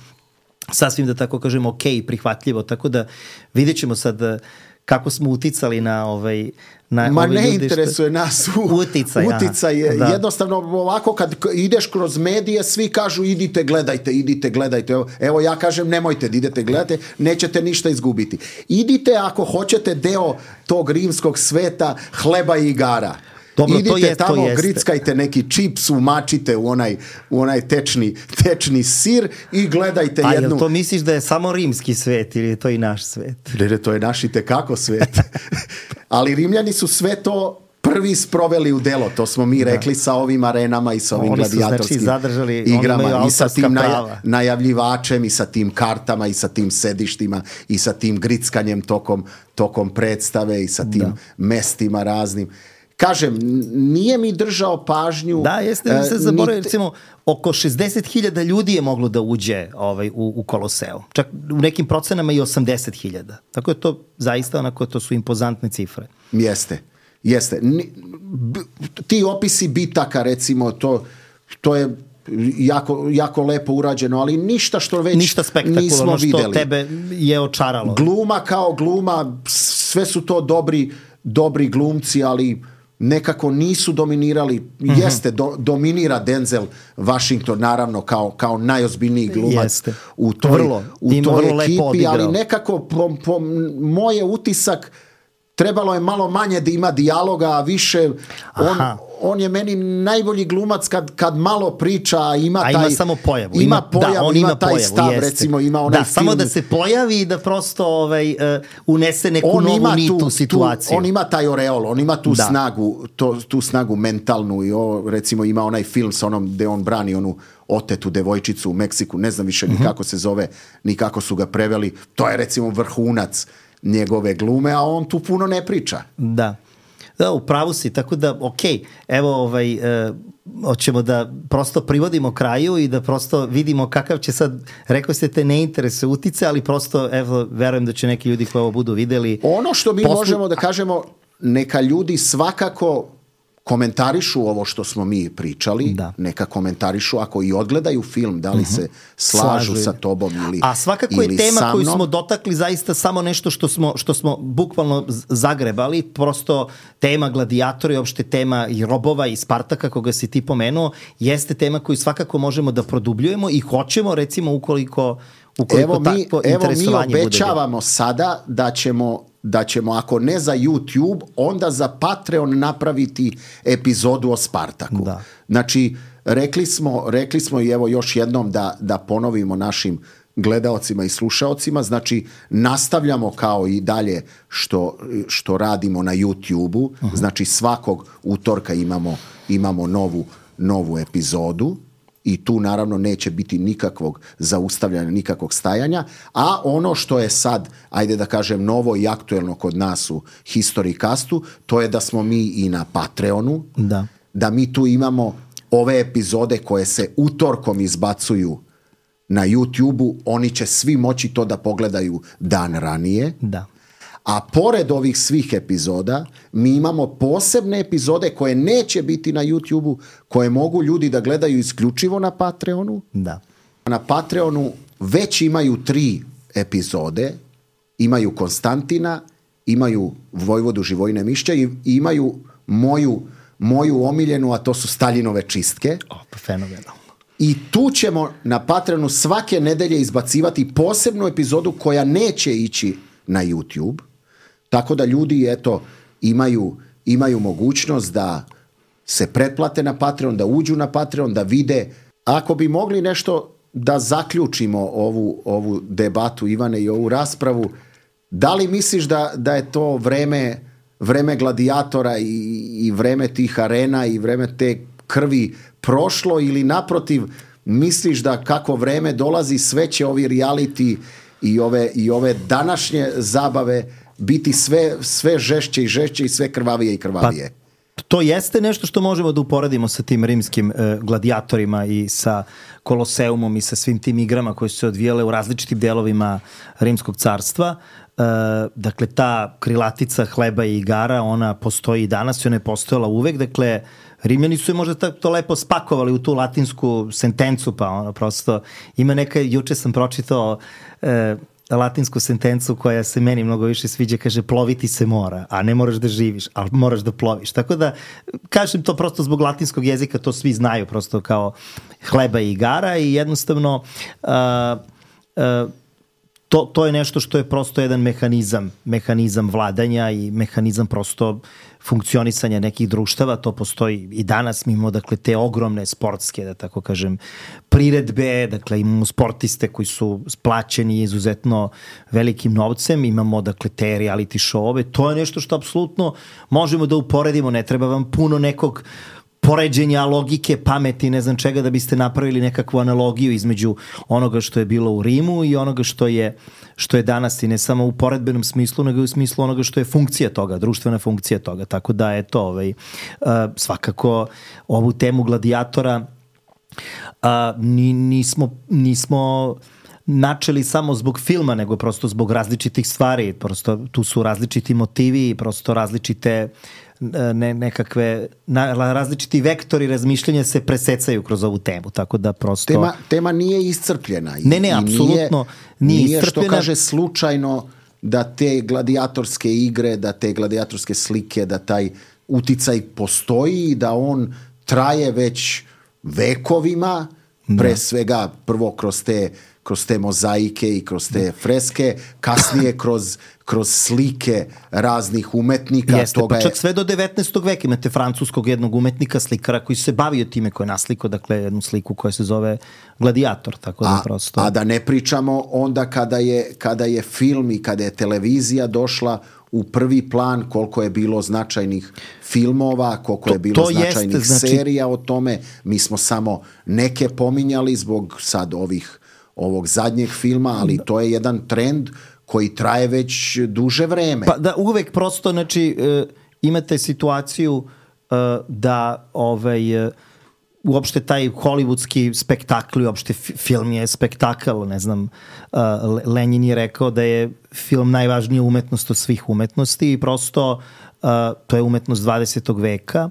S4: sasvim da tako kažem, ok, prihvatljivo. Tako da vidjet ćemo sad kako smo uticali na ovaj na
S2: Ma
S4: ove
S2: ne
S4: ljude
S2: interesuje
S4: što...
S2: nas u,
S4: uticaj,
S2: uticaj je
S4: da.
S2: Jednostavno ovako kad ideš kroz medije svi kažu idite gledajte, idite gledajte, evo, evo ja kažem nemojte da idete gledajte, nećete ništa izgubiti. Idite ako hoćete deo tog rimskog sveta hleba i igara. Dobro, idite to je, tamo, to grickajte neki čips, umačite u onaj, u onaj tečni, tečni sir i gledajte
S4: A,
S2: jednu...
S4: A jel to misliš da je samo rimski svet ili je to i naš svet?
S2: Ne, ne, to je naš i tekako svet. Ali Rimljani su sve to prvi sproveli u delo. To smo mi rekli da. Sa ovim arenama i sa ovim
S4: oni
S2: gladijatorskim
S4: su, znači, zadržali,
S2: igrama i sa tim
S4: naja,
S2: najavljivačem i sa tim kartama i sa tim sedištima i sa tim grickanjem tokom, tokom predstave i sa tim da. mestima raznim. Kažem, nije mi držao pažnju.
S4: Da, jeste mi se zaboravio, recimo, oko šezdeset hiljada ljudi je moglo da uđe ovaj, u, u Koloseu. Čak u nekim procenama i osamdeset hiljada. Tako je to zaista onako, to su impozantne cifre.
S2: Jeste, jeste. Ti opisi bitaka, recimo, to, to je jako, jako lepo urađeno, ali ništa što već
S4: ništa spektakularno što
S2: videli.
S4: Tebe je očaralo.
S2: Gluma kao gluma, sve su to dobri, dobri glumci, ali nekako nisu dominirali. Mm-hmm. Jeste, do, dominira Denzel Washington naravno kao, kao najozbiljniji glumac Jeste. u toj,
S4: vrlo,
S2: u toj ekipi, ali nekako po, po moj je utisak trebalo je malo manje da ima dijaloga, a više on, on je meni najbolji glumac kad, kad malo priča, ima
S4: a
S2: taj...
S4: ima samo pojavu.
S2: Ima,
S4: ima
S2: pojavu,
S4: da, on
S2: ima,
S4: ima
S2: taj
S4: pojavu,
S2: stav,
S4: jeste.
S2: recimo ima onaj
S4: da,
S2: film...
S4: samo da se pojavi i da prosto ovaj, uh, unese neku on novu nit u situaciju.
S2: Tu, on ima taj oreol, on ima tu
S4: da.
S2: snagu, to, tu snagu mentalnu i o, recimo ima onaj film sa onom gde on brani onu otetu devojčicu u Meksiku, ne znam više mm-hmm. ni kako se zove, ni kako su ga preveli, to je recimo vrhunac njegove glume, a on tu puno ne priča.
S4: Da. Da, u pravu si, tako da, ok, evo, ovaj, e, hoćemo da prosto privodimo kraju i da prosto vidimo kakav će sad, rekao ste te ne interese utice, ali prosto, evo, verujem da će neki ljudi koji ovo budu videli.
S2: Ono što mi
S4: poslu...
S2: možemo da kažemo, neka ljudi svakako komentarišu ovo što smo mi pričali,
S4: da.
S2: Neka komentarišu ako i odgledaju film, da li uh-huh. se slažu, slažu sa tobom ili
S4: a svakako je tema koju smo dotakli zaista samo nešto što smo, što smo bukvalno zagrebali, prosto tema gladijatora i opšte tema i robova i Spartaka koga si ti pomenuo, jeste tema koju svakako možemo da produbljujemo i hoćemo recimo ukoliko, ukoliko
S2: evo mi,
S4: takvo
S2: evo
S4: interesovanje
S2: mi obećavamo bude. Sada da ćemo da ćemo, ako ne za YouTube, onda za Patreon napraviti epizodu o Spartaku.
S4: Da.
S2: Znači, rekli smo, rekli smo i evo još jednom da, da ponovimo našim gledaocima i slušaocima, znači nastavljamo kao i dalje što, što radimo na YouTube-u, uh-huh. znači svakog utorka imamo, imamo novu, novu epizodu. I tu naravno neće biti nikakvog zaustavljanja, nikakvog stajanja, a ono što je sad, ajde da kažem, novo i aktuelno kod nas u Historycastu, to je da smo mi i na Patreonu,
S4: da,
S2: da mi tu imamo ove epizode koje se utorkom izbacuju na YouTube-u, oni će svi moći to da pogledaju dan ranije.
S4: Da.
S2: A pored ovih svih epizoda, mi imamo posebne epizode koje neće biti na YouTube-u, koje mogu ljudi da gledaju isključivo na Patreonu.
S4: Da.
S2: Na Patreonu već imaju tri epizode, imaju Konstantina, imaju Vojvodu Živojine Mišća i imaju moju, moju omiljenu, a to su Staljinove čistke.
S4: O, pa fenomenalno.
S2: I tu ćemo na Patreonu svake nedelje izbacivati posebnu epizodu koja neće ići na YouTube. Tako da ljudi, eto, imaju, imaju mogućnost da se pretplate na Patreon, da uđu na Patreon, da vide. Ako bi mogli nešto da zaključimo ovu, ovu debatu, Ivane, i ovu raspravu, da li misliš da, da je to vreme, vreme gladijatora i, i vreme tih arena i vreme te krvi prošlo, ili naprotiv, misliš da kako vreme dolazi, sve će ovi reality i ove, i ove današnje zabave biti sve, sve žešće i žešće i sve krvavije i krvavije?
S4: Pa, to jeste nešto što možemo da uporedimo sa tim rimskim e, gladijatorima i sa Koloseumom i sa svim tim igrama koje su se odvijale u različitim delovima Rimskog carstva. E, dakle, ta krilatica hleba i igara, ona postoji i danas i ona je postojala uvek. Dakle, Rimljani su je možda to lepo spakovali u tu latinsku sentencu, pa ono prosto ima neka, juče sam pročitao e, latinsku sentencu koja se meni mnogo više sviđa, kaže ploviti se mora, a ne moraš da živiš, ali moraš da ploviš. Tako da, kažem to prosto zbog latinskog jezika, to svi znaju prosto kao hleba i igara i jednostavno uh, uh, to, to je nešto što je prosto jedan mehanizam, mehanizam vladanja i mehanizam prosto funkcionisanja nekih društava, to postoji i danas. Mi imamo, dakle, te ogromne sportske, da tako kažem, priredbe, dakle, imamo sportiste koji su plaćeni izuzetno velikim novcem, imamo, dakle, te reality show-ove, to je nešto što apsolutno možemo da uporedimo, ne treba vam puno nekog poređenja, logike, pameti, ne znam čega, da biste napravili nekakvu analogiju između onoga što je bilo u Rimu i onoga što je, što je danas, i ne samo u poredbenom smislu, nego u smislu onoga što je funkcija toga, društvena funkcija toga. Tako da, eto, ovaj, uh, svakako ovu temu gladijatora uh, ni, nismo, nismo načeli samo zbog filma, nego prosto zbog različitih stvari. Prosto tu su različiti motivi, prosto različite ne, nekakve na, različiti vektori razmišljanja se presecaju kroz ovu temu, tako da prosto...
S2: Tema, tema nije iscrpljena. I,
S4: ne, ne, apsolutno nije, nije iscrpljena.
S2: Što kaže slučajno da te gladijatorske igre, da te gladijatorske slike, da taj uticaj postoji i da on traje već vekovima, pre da. svega prvo kroz te kroz te mozaike i kroz te freske, kasnije kroz, kroz slike raznih umetnika.
S4: Jeste,
S2: toga
S4: pa čak
S2: je...
S4: sve do devetnaestog veka imate francuskog jednog umetnika, slikara koji se bavio time, koji je naslikao, dakle, jednu sliku koja se zove Gladijator, tako da
S2: a,
S4: prosto...
S2: A da ne pričamo onda kada je, kada je film i kada je televizija došla u prvi plan, koliko je bilo značajnih filmova, koliko to, je bilo značajnih jeste, znači... serija o tome. Mi smo samo neke pominjali zbog sad ovih ovog zadnjeg filma, ali to je jedan trend koji traje već duže vreme.
S4: Pa da, uvek prosto, znači, imate situaciju uh, da ovaj, uh, uopšte taj hollywoodski spektakl, uopšte film je spektakl, ne znam, uh, Lenin je rekao da je film najvažnija umetnost od svih umetnosti i prosto uh, to je umetnost dvadesetog veka.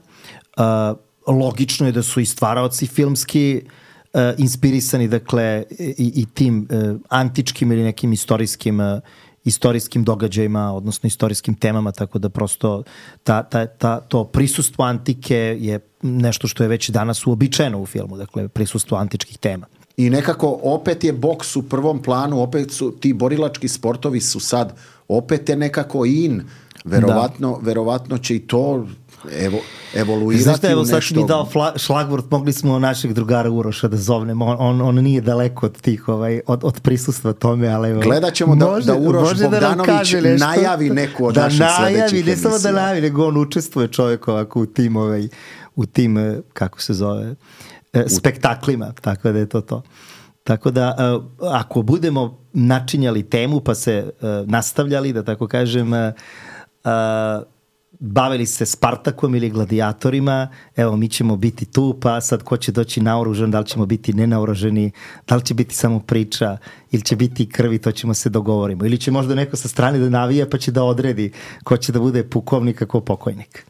S4: Uh, logično je da su i stvaraoci filmski uh, inspirisani, dakle, i, i tim uh, antičkim ili nekim istorijskim uh, istorijskim događajima, odnosno istorijskim temama, tako da prosto ta, ta, ta, to prisustvo antike je nešto što je već danas uobičajeno u filmu, dakle prisustvo antičkih tema.
S2: I nekako opet je boks u prvom planu, opet su ti borilački sportovi su sad opet je nekako in, verovatno, da. verovatno će i to evo, evoluirati
S4: Znaš da, evo,
S2: u nešto.
S4: Sad si mi dao šlagvort, mogli smo našeg drugara Uroša da zovnemo, on, on, on nije daleko od tih, ovaj, od, od prisustva tome, ali evo,
S2: gledat ćemo da,
S4: može,
S2: da Uroš Bogdanović
S4: da
S2: najavi neku od
S4: da
S2: naših
S4: najavi,
S2: sledećih emisija.
S4: Ne samo da najavi, nego on učestvuje čovjek ovako u tim, ovaj, u tim, kako se zove, spektaklima, tako da je to to. Tako da, ako budemo načinjali temu pa se nastavljali, da tako kažem, bavili se Spartakom ili gladijatorima, evo mi ćemo biti tu, pa sad ko će doći naoružan, da li ćemo biti nenaoruženi, da li će biti samo priča ili će biti krvi, to ćemo se dogovorimo. Ili će možda neko sa strane da navija pa će da odredi ko će da bude pukovnik, a ko pokojnik.